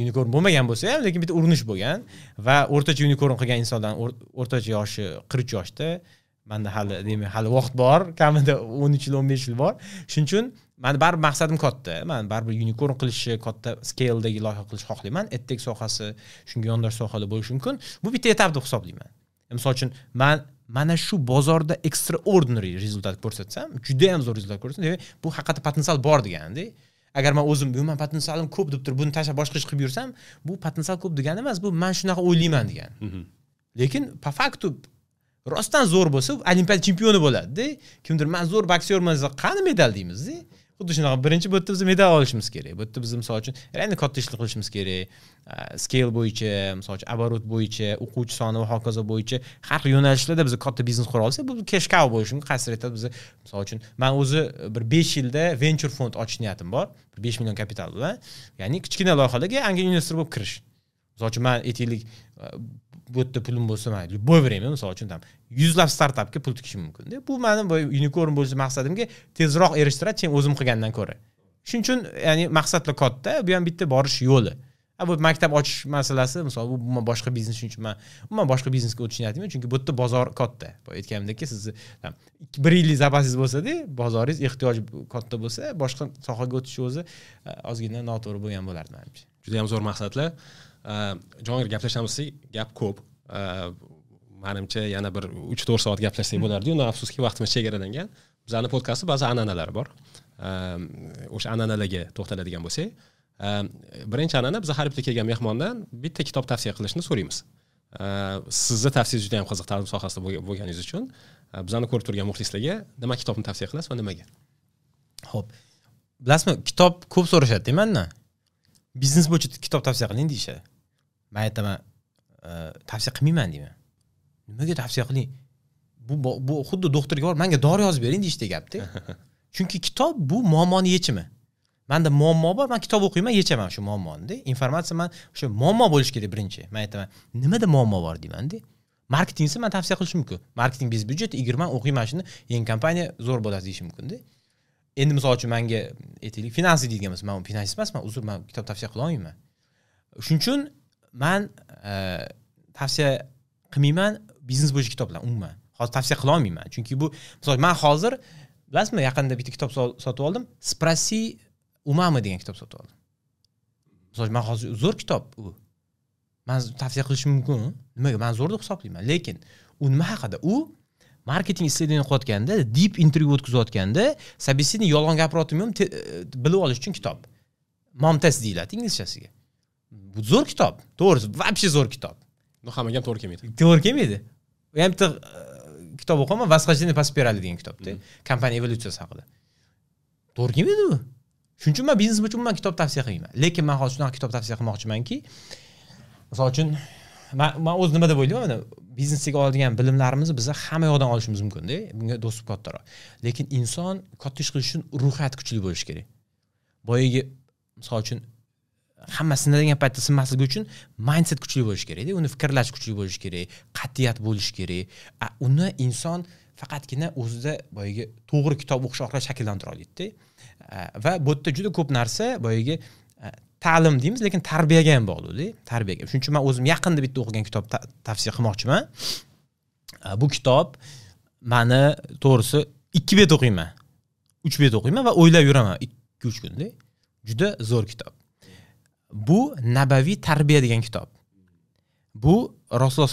unicorn bo'lmagan bo'lsa ham, lekin bitta urinish bo'lgan va o'rtacha unicorn qilgan insondan o'rtacha yoshi 43 yoshda. Menda hali, demak, hali vaqt bor, kamida 13 yil, 15 yil bor. Shuning uchun meni baribir maqsadim katta. Men baribir unicorn qilishni, katta scale'dagi loyiha qilishni xohlayman. Edtech sohasi, shunga yondosh sohalar bo'lishi mumkin. Bu bitta etap deb hisoblayman. Misol uchun, men mana shu bozorda extraordinary rezultat ko'rsatsam, juda ham zo'r rezultat ko'rsatsam, demak, bu haqiqatda potensial bor deganda. Agar men o'zim, bu men potensialim ko'p deb turib, buni tashlab boshqa ish qilib yursam, bu potensial ko'p degani emas, bu men shunaqa o'ylayman degani. Lekin по факту rostdan zo'r bo'lsa, olimpiada chempioni bo'ladi-da. Kimdir men zo'r boksyorman desa, qani medal deymiz-da. Xuddi shunaqa birinchi bu yerda biz medal olishimiz kerak. Bu yerda biz misol uchun reально katta ishlar qilishimiz kerak. Scale bo'yicha, misol uchun оборот bo'yicha, o'quvchi soni va hokazo bo'yicha har xil yo'nalishlarda biz katta biznes qura olsak, bu cash cow bo'lishi mumkin. Qaysi etapda biz misol uchun men o'zi bir 5 yilda venture fond ochish niyatim bor. Bir 5 million kapital bilan, ya'ni kichkina loyihalarga angel investor bo'lib kirish. Misol uchun men aytaylik, bu yerda pulim bo'lsa, men любой время misol uchun tam yuzlab startapga pul tikishim mumkin-da. Bu meni bu unicorn bo'lish maqsadimga tezroq erishtiradi, chem o'zim qilgandan ko'ra. Shuning uchun, ya'ni maqsadlar katta, bu ham bitta borish yo'li. Bu maktab ochish masalasi, misol bu umuman boshqa biznes, shuning uchun men umuman boshqa biznesga o'tish niyatim yo'q, chunki bu yerda bozor katta. Boya aytganimdek, sizni tam 1 yillik zapasingiz bo'lsa-da, bozoringiz ehtiyoj katta bo'lsa, boshqa sohaga o'tish o'zi ozgina noto'g'ri bo'lgan bo'lardi menimcha. Juda ham zo'r maqsadlar. Jahongir, gaplashamiz, gap ko'p. Menimcha yana bir 3-4 soat gaplashsak bo'lardi-yu, afsuski vaqtimiz chegaralangan. Bizning podkastda ba'zi an'analar bor. O'sha an'analarga to'xtaladigan bo'lsak, birinchi an'ana, biz har bitta kelgan mehmondan bitta kitob tavsiya qilishni so'raymiz. Sizni tavsiyangiz juda ham qiziq ta'lim sohasida bo'lganingiz uchun bizani ko'rib turgan muxlislarga nima kitobni tavsiya qilasiz va nimaga? Xo'p. Bilasizmi, kitob ko'p so'rashadi mandan. Biznes bo'yicha kitob tavsiya qiling deyishadi. Men aytaman, tavsiya qilmayman deyman. Nimaga tavsiya qiling? Bu xuddi doktorga borib, menga dori yozib bering deyishdi gapda. Chunki kitob bu muammoni yechimi. Menda muammo bor, men kitob o'qiyman, yechaman shu muammoni-da. Informatsiya men o'sha muammo bo'lishi kerak birinchi. Men aytaman, nimada muammo bor deyman-da. Marketing esa men tavsiya qilishim mumkin. Marketing biz byudjet 20 o'qiyman shuni, yangi kompaniya zo'r bo'ladi deyishim mumkin-da. Endi misol uchun menga aytaylik, finans deydigan bo'lsa, men finansist emasman, uzr, men kitob tavsiya qila olmayman. Shuning uchun men tavsiya qilmayman biznes bo'yicha kitoblar umuman. Hozir tavsiya qila olmayman. Chunki bu misol men hozir bilasizmi, yaqinda bitta kitob sotib oldim, Спроси у мамы degan kitob sotib oldim. Misol men hozir zo'r kitob u. Men tavsiya qilishim mumkin. Nimaga? Men zo'r deb hisoblayman. Lekin u nima haqida? U marketing исследование qilayotganda, deep interview o'tkazayotganda, собеседник yolg'on gapiryaptimi, bilib olish uchun kitob. Mom test deyiladi inglizchasiga. Bu zo'r kitob. To'g'risi, вообще zo'r kitob. Но hammaga ham to'g'ri kelmaydi. To'g'ri kelmaydi. U ham bitta kitob o'qiyman, Восхождение по спирали degan kitobda, kompaniya evolyutsiyasi haqida. To'g'ri kelmaydi u. Shuning uchun men biznes bo'yicha umuman kitob tavsiya qilmayman. Lekin men hozir shunaqa kitob tavsiya qilmoqchimanki, misol uchun men o'z nima deb o'ylayman, mana biznesga oladigan bilimlarimizni biz hamma yoqdan olishimiz mumkin-da, bunga do'stlik kattaroq. Lekin inson katta ish qilish uchun ruhiyati kuchli bo'lishi kerak. Boyagi misol uchun hamma sinadigan paytda sinmasligi uchun mindset kuchli bo'lishi kerak-da, uni fikrlash kuchli bo'lishi kerak, qat'iyat bo'lishi kerak. Uni inson faqatgina o'zida boyagi to'g'ri kitob o'qish orqali shakllantira oladi-da. Va bu yerda juda ko'p narsa boyagi ta'lim deymiz, lekin tarbiyaga ham bog'liq-da, tarbiyaga. Shuning uchun men o'zim yaqinda bitta o'qigan kitob tavsiya qilmoqchiman. Bu kitob meni to'g'risi 2 bet o'qiyman, 3 bet o'qiyman va o'ylab yuraman 2-3 kunda. Juda zo'r kitob. Bu Nabaviy tarbiya degan kitob. Bu Rasululloh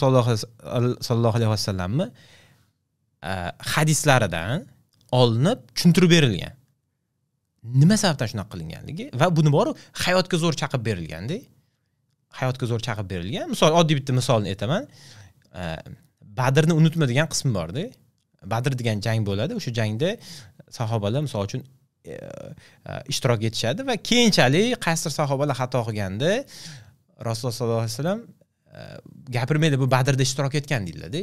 sollallohu alayhi vasallamni hadislaridan olinib tushuntirib berilgan. Nima sababdan shunaqa qilinganligi va buni boru hayotga zo'r chaqib berilganda, hayotga zo'r chaqib berilgan. Misol, oddiy bitta misolni aytaman. Badrni unutma degan qismi bor-da. Badr degan jang bo'ladi. O'sha jangda sahobalar misol uchun ishtirok etishadi va keyinchalik qaysidir sahobalar xato qilganda Rasululloh sollallohu alayhi vasallam gapirmaydi, bu Badrda ishtirok etgan deyiladi.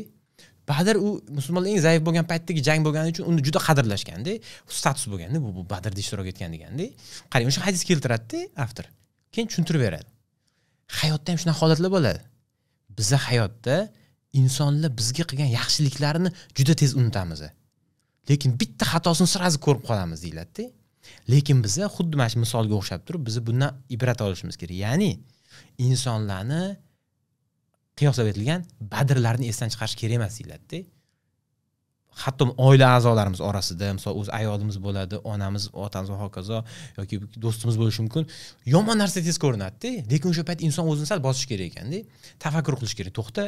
Badr u musulmonlar eng zaif bo'lgan paytdagi jang bo'lgani uchun uni juda qadrlashganda, status bo'lganda, bu Badrda ishtirok etgan deganda. Qarang, o'sha hadis keltiradi-da avtor. Keyin tushuntirib beradi. Hayotda ham shunaqa holatlar bo'ladi. Biza hayotda insonlar bizga qilgan yaxshiliklarini juda tez unutamiz. Lekin bitta xatosini sirazi ko'rib qolamiz deyiladi-da. Lekin biza xuddi mana shu misolga o'xshab turib, biz bundan ibrat olishimiz kerak. Ya'ni insonlarni qiyoslab aytilgan badrlarni esdan chiqarish kerak emas deyiladi-da. Hatto oila a'zolarimiz orasida, misol o'z ayolimiz bo'ladi, onamiz, otamiz va hokazo yoki do'stimiz bo'lishi mumkin. Yomon narsa tez ko'rinadi-da, lekin o'sha payt inson o'zini sal bosish kerak ekanda, tafakkur qilish kerak. To'xta,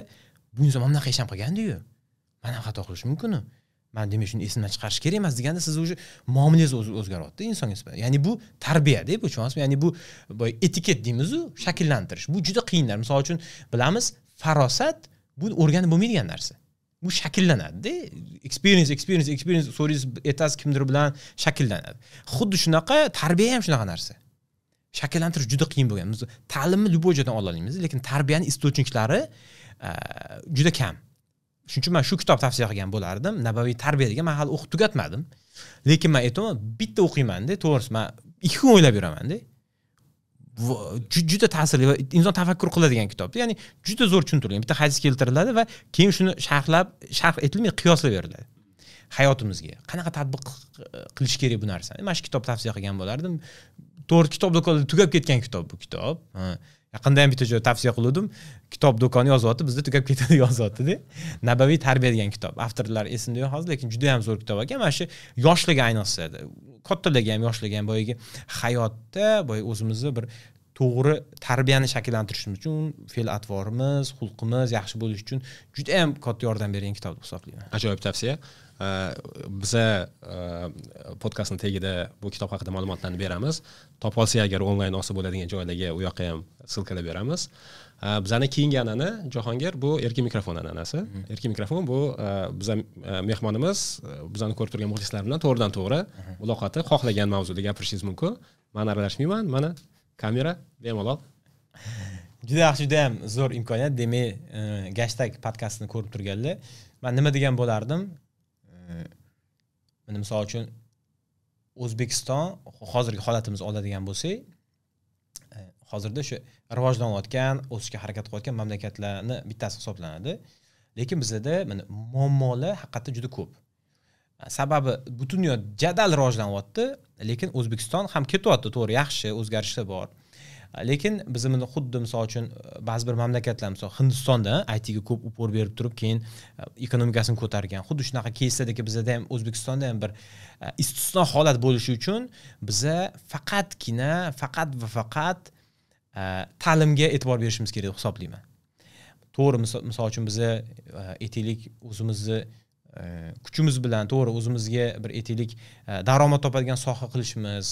bu inson mana bunaqa ish ham qilgandi-yu. Men ham xato qilishim mumkin-ku. Men demak shuni esimdan chiqarish kerak emas deganda siz o'sha muomalangiz o'zgaryapti insonga nisbatan. Ya'ni bu tarbiya-da, bu tushunasizmi? Ya'ni bu etiket deymiz-u, shakllantirish. Bu juda qiyinlar. Misol uchun bilamiz, farosat bu o'rganib bo'lmaydigan narsa. Bu shakllanadi-da. Experience, experience, experience so'raysiz, aytasiz kimdir bilan shakllanadi. Xuddi shunaqa tarbiya ham shunaqa narsa. Shakllantirish juda qiyin bo'lgan. Biz ta'limni любой joydan ola olamiz, lekin tarbiyaning istochniklari juda kam. Shuning uchun men shu kitob tavsiya qilgan bo'lardim. Nabaviy tarbiya degan, men hali o'qib tugatmadim. Lekin men aytaman, bitta o'qiyman-da, to'g'risi men 2 kun o'ylab yuraman-da. Juda ta'sirli va inson tafakkur qiladigan kitobda. Ya'ni juda zo'r tushuntirilgan. Bitta hadis keltiriladi va keyin shuni sharhlab, sharh etilmay qiyoslab beriladi. Hayotimizga qanaqa tatbiq qilish kerak bu narsani. Mana shu kitob tavsiya qilgan bo'lardim. To'g'ri, kitob do'konida tugab ketgan kitob bu kitob. Yaqinda ham bitta joy tavsiya qildim. Kitob do'koni yozyapti, bizda tugab ketadi yozyapti-da. Nabaviy tarbiya degan kitob. Avtorlar esimda yo'q hozir, lekin juda ham zo'r kitob ekan. Mana shu yoshlarga ayniqsa, kattalarga ham, yoshlarga ham boyagi hayotda boy o'zimizni bir to'g'ri tarbiyani shakllantirishimiz uchun fe'l-atvorimiz, xulqimiz yaxshi bo'lishi uchun juda ham katta yordam bergan kitob deb hisoblayman. Ajoyib tavsiya. Biza podkastning tagida bu kitob haqida ma'lumotlarni beramiz. Topa olsak agar onlayn olsa bo'ladigan joylarga u yoqqa ham ссылкалар beramiz. Bizani keyingi an'ana Jahongir bu erkin mikrofon an'anasi. Erkin mikrofon bu biza mehmonimiz bizani ko'rib turgan muxlislar bilan to'g'ridan to'g'ri muloqoti, xohlagan mavzuda gapirishingiz mumkin. Men aralashmayman, mana Kamera bemalol. Juda yaxshi, juda ham zo'r imkoniyat. Demak, Gashtag podkastini ko'rib turganlar, men nima degan bo'lardim? Mana misol uchun O'zbekiston hozirgi holatimizni oladigan bo'lsak, hozirda o'sha rivojlanayotgan, o'sishga harakat qilayotgan mamlakatlarni bittasi hisoblanadi. Lekin bizda mana muammolar haqiqatda juda ko'p. Sababi butun dunyo jadal rivojlanyapti, lekin O'zbekiston ham ketyapti, to'g'ri, yaxshi o'zgarishlar bor. Lekin biz buni xuddi misol uchun ba'zi bir mamlakatlar, misol Hindistonda IT ga ko'p upor berib turib, keyin ekonomikasini ko'targan. Xuddi shunaqa keyslardagi bizda ham, O'zbekistonda ham bir istisno holat bo'lishi uchun biza faqatgina, faqat va faqat ta'limga e'tibor berishimiz kerak deb hisoblayman. To'g'ri, misol uchun biza aytaylik o'zimizni kuchimiz bilan, to'g'ri, o'zimizga bir aytaylik daromad topadigan soha qilishimiz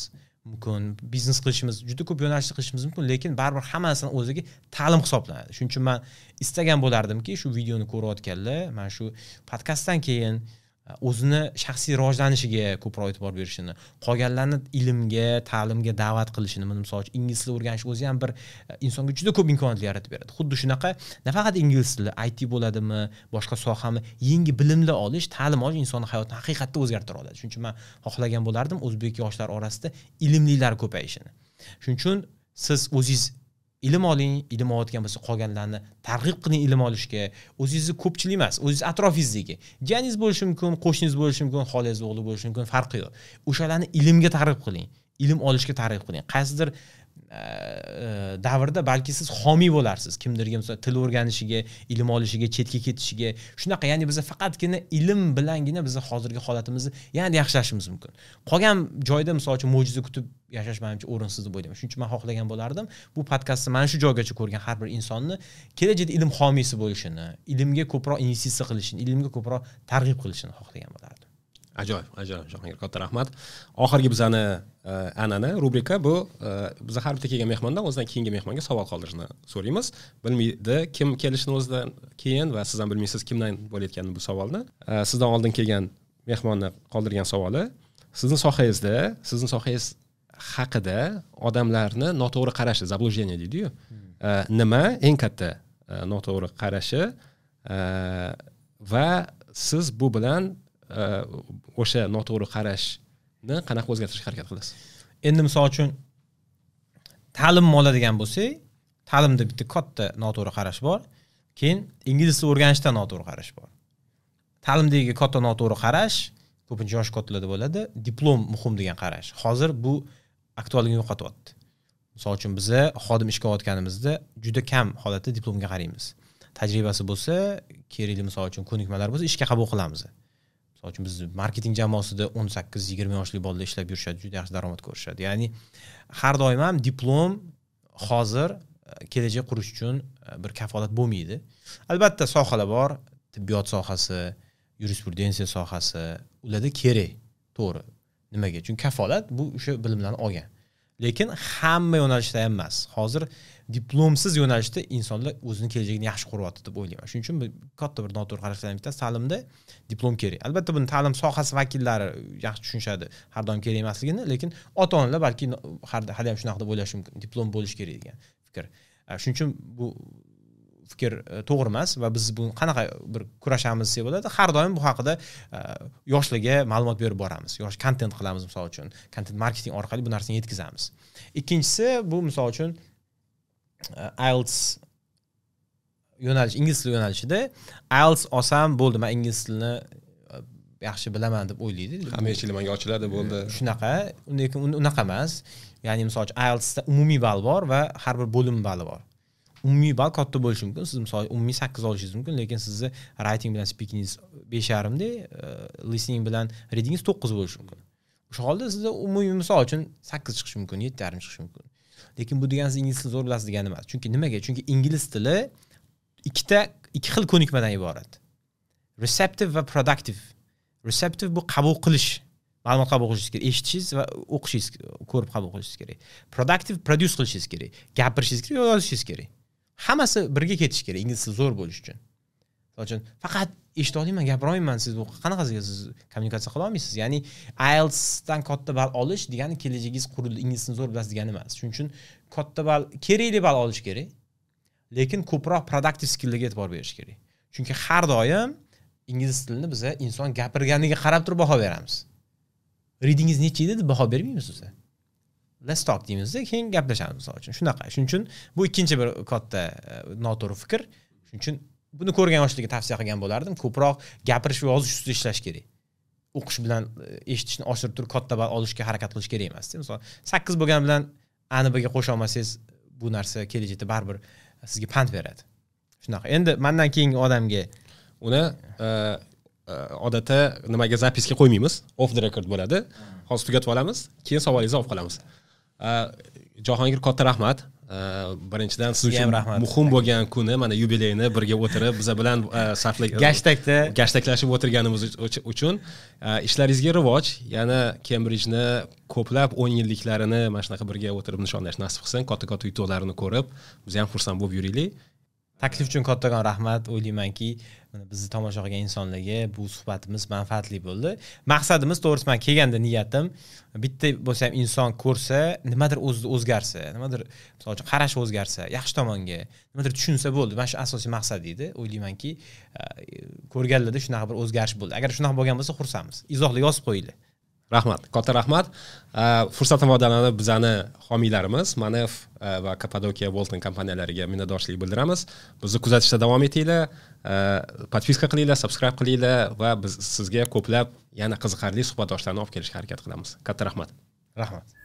mumkin, biznes qilishimiz, juda ko'p yo'nalishda qilishimiz mumkin, lekin baribir hammasini o'ziga ta'lim hisoblanadi. Shuning uchun men istagan bo'lardimki, shu videoni ko'rayotganlar mana shu podkastdan keyin o'zini shaxsiy rivojlanishiga ko'proq e'tibor berishini, qolganlarni ilmga, ta'limga da'vat qilishini, misol uchun ingliz tilini o'rganish o'zi ham bir insonga juda ko'p imkoniyatlar yaratib beradi. Xuddi shunaqa nafaqat ingliz tili, IT bo'ladimi, boshqa sohami, yangi bilimlar olish, ta'lim olish insonning hayotini haqiqatda o'zgartira oladi. Shuning uchun men xohlagan bo'lardim o'zbek yoshlar orasida ilmlilar ko'payishini. Shuning uchun siz o'zingiz ilm oling, ilm olayotgan bo'lsa qolganlarni targ'ib qiling ilm olishga. O'zingizni ko'pchilik emas, o'zingiz atrofingizdagi jiyaningiz bo'lishi mumkin, qo'shningiz bo'lishi mumkin, xolangiz o'g'li bo'lishi mumkin, farqi yo'q. O'shalarni ilmga targ'ib qiling, ilm olishga targ'ib qiling. Qaysidir davrda balki siz homiy bo'larsiz kimdirga, misol til o'rganishiga, ilm olishiga, chetga ketishiga. Shunaqa, ya'ni biz faqatgina ilm bilangina biz hozirgi holatimizni yanada yaxshilashimiz mumkin. Qolgan joyda misol uchun mo'jiza kutib yashash menimcha o'rinsiz deb o'ylayman. Shuning uchun men xohlagan bo'lardim bu podkastni mana shu joygacha ko'rgan har bir insonni kelajakda ilm homiysi bo'lishini, ilmga ko'proq investitsiya qilishini, ilmga ko'proq targ'ib qilishini xohlagan bo'lardim. Ajoyib, ajoyib, Jahongir, katta rahmat. Oxirgi bizani an'ana rubrika bu, biz har bitta kelgan mehmondan o'zidan keyingi mehmonga savol qoldirishni so'raymiz. Bilmaydi kim kelishini o'zidan keyin va siz ham bilmaysiz kimdan bo'layotganini bu savolni. Sizdan oldin kelgan mehmonni qoldirgan savoli: sizni sohangizda, sizni sohangiz haqida odamlarni noto'g'ri qarashi, заблуждение deydi-yu. Nima eng katta noto'g'ri qarashi va siz bu bilan o'sha noto'g'ri qarashni qanaqa o'zgartirishga harakat qilasiz? Endi misol uchun ta'limni oladigan bo'lsak, ta'limda bitta katta noto'g'ri qarash bor, keyin ingliz tilini o'rganishda noto'g'ri qarash bor. Ta'limdagi katta noto'g'ri qarash ko'pincha yosh kattalarda bo'ladi, diplom muhim degan qarash. Hozir bu aktualligini yo'qotyapti. Misol uchun biza xodim ishga olayotganimizda juda kam holatda diplomga qaraymiz. Tajribasi bo'lsa, kerakli misol uchun ko'nikmalar bo'lsa ishga qabul qilamiz. Misol uchun biz marketing jamoasida 18-20 yoshli bolalar ishlab yurishadi, juda yaxshi daromad ko'rishadi. Ya'ni har doim ham diplom hozir kelajak qurish uchun bir kafolat bo'lmaydi. Albatta sohalar bor, tibbiyot sohasi, yurisprudensiya sohasi, ularda kerak, to'g'ri. Nimaga? Chunki kafolat bu o'sha bilimlarni olgan. Lekin hamma yo'nalishda ham emas. Hozir diplomsiz yo'nalishda insonlar o'zini kelajagini yaxshi quryapti deb o'ylayman. Shuning uchun katta bir noto'g'ri qarashlardan bittasi ta'limda diplom kerak. Albatta buni ta'lim sohasi vakillari yaxshi tushunishadi, har doim kerak emasligini, lekin ota-onalar balki hali ham shunaqa deb o'ylashi mumkin, diplom bo'lishi kerak degan fikr. Shuning uchun bu fikr to'g'ri emas va biz buni qanaqa bir kurashamiz desa bo'ladi. Har doim bu haqida yoshlarga ma'lumot berib boramiz. Yosh kontent qilamiz misol uchun. Kontent marketing orqali bu narsani yetkazamiz. Ikkinchisi bu misol uchun IELTS yo'nalish, ingliz tili yo'nalishida IELTS olsam bo'ldi, men ingliz tilini yaxshi bilaman deb o'ylaydi. Hamma eshiklar menga ochiladi, bo'ldi. Shunaqa, lekin unaqa emas. Ya'ni misol uchun IELTSda umumiy ball bor va har bir bo'lim bali bor. Umumiy ball katta bo'lishi mumkin. Siz misol umumiy 8 olishingiz mumkin, lekin sizni writing bilan speakingingiz 5.5 da, listening bilan readingingiz 9 bo'lishi mumkin. O'sha holda sizda umumiy misol uchun 8 chiqishi mumkin, 7.5 chiqishi mumkin. Lekin bu degani siz ingliz tilini zo'r bilasiz degani emas. Chunki nimaga? Chunki ingliz tili ikki xil ko'nikmadan iborat. Receptive va productive. Receptive bu qabul qilish, ma'lumot qabul qilishingiz kerak, eshitishingiz va o'qishingiz, ko'rib qabul qilishingiz kerak. Productive produce qilishingiz kerak, gapirishingiz kerak, yozishingiz kerak. Hammasi birga ketishi kerak ingliz tili zo'r bo'lish uchun. Misol uchun, faqat eshita olmayman, gapira olmayman, siz bu qanaqasiga siz kommunikatsiya qila olmaysiz. Ya'ni IELTSdan katta ball olish degani kelajagingiz qurildi, ingliz tilini zo'r bilasiz degani emas. Shuning uchun katta ball, kerakli ball olish kerak, lekin ko'proq productive skilllarga e'tibor berish kerak. Chunki har doim ingliz tilini biza inson gapirganiga qarab turib baho beramiz. Readingiz necha edi deb baho bermaymiz o'zi. Let's talk deymizda, keyin gaplashamiz misol uchun. Shunaqa. Shuning uchun bu ikkinchi bir katta noto'g'ri fikr. Shuning uchun buni ko'rgan yoshlarga tavsiya qilgan bo'lardim, ko'proq gapirish va yozish ustida ishlash kerak. O'qish bilan eshitishni oshirib turib katta ball olishga harakat qilish kerak emas. Misol 8 bo'lgan bilan A ni Bga qo'sha olmasangiz, bu narsa kelajakda baribir sizga pand beradi. Shunaqa. Endi mendan keyingi odamga uni odatda nimaga запись ga qo'ymaymiz, off the record bo'ladi. Hozir tugatib olamiz, keyin savolingizni olib qolamiz. Jahongir, katta rahmat. Birinchidan siz Sizga ham uchun rahmat. muhim bo'lgan kuni, mana yubileyni birga o'tirib, biza bilan sarflag Gashtakda gashtaklashib o'tirganimiz uchun ishlaringizga rivoj, yana Cambridgeni ko'plab 10 yilliklarini mana shunaqa birga o'tirib nishonlash nasib qilsin, katta-katta yutuqlarini ko'rib, biz ham xursand bo'lib yuraylik. Taklif uchun kattakon rahmat. O'ylaymanki, mana bizni tomosha qilgan insonlarga bu suhbatimiz manfaatli bo'ldi. Maqsadimiz, to'g'risi, men kelganda niyatim bitta bo'lsa ham inson ko'rsa, nimadir o'zida o'zgarsa, nimadir, misol uchun, qarashi o'zgarsa, yaxshi tomonga, nimadir tushunsa bo'ldi. Mana shu asosiy maqsad edi. O'ylaymanki, ko'rganlarda shunaqa bir o'zgarish bo'ldi. Agar shunaqa bo'lgan bo'lsa, xursandmiz. Izohlar yozib qo'yinglar. Rahmat, katta rahmat. Fursatdan foydalanib bizani homiylarimiz Manef va Kapadokiya Bolton kompaniyalariga minnatdorchilik bildiramiz. Bizni kuzatishda davom etinglar, подписка qilinglar, subscribe qilinglar va biz sizga ko'plab yana qiziqarli suhbatdoshlarni olib kelishga harakat qilamiz. Katta rahmat. Rahmat.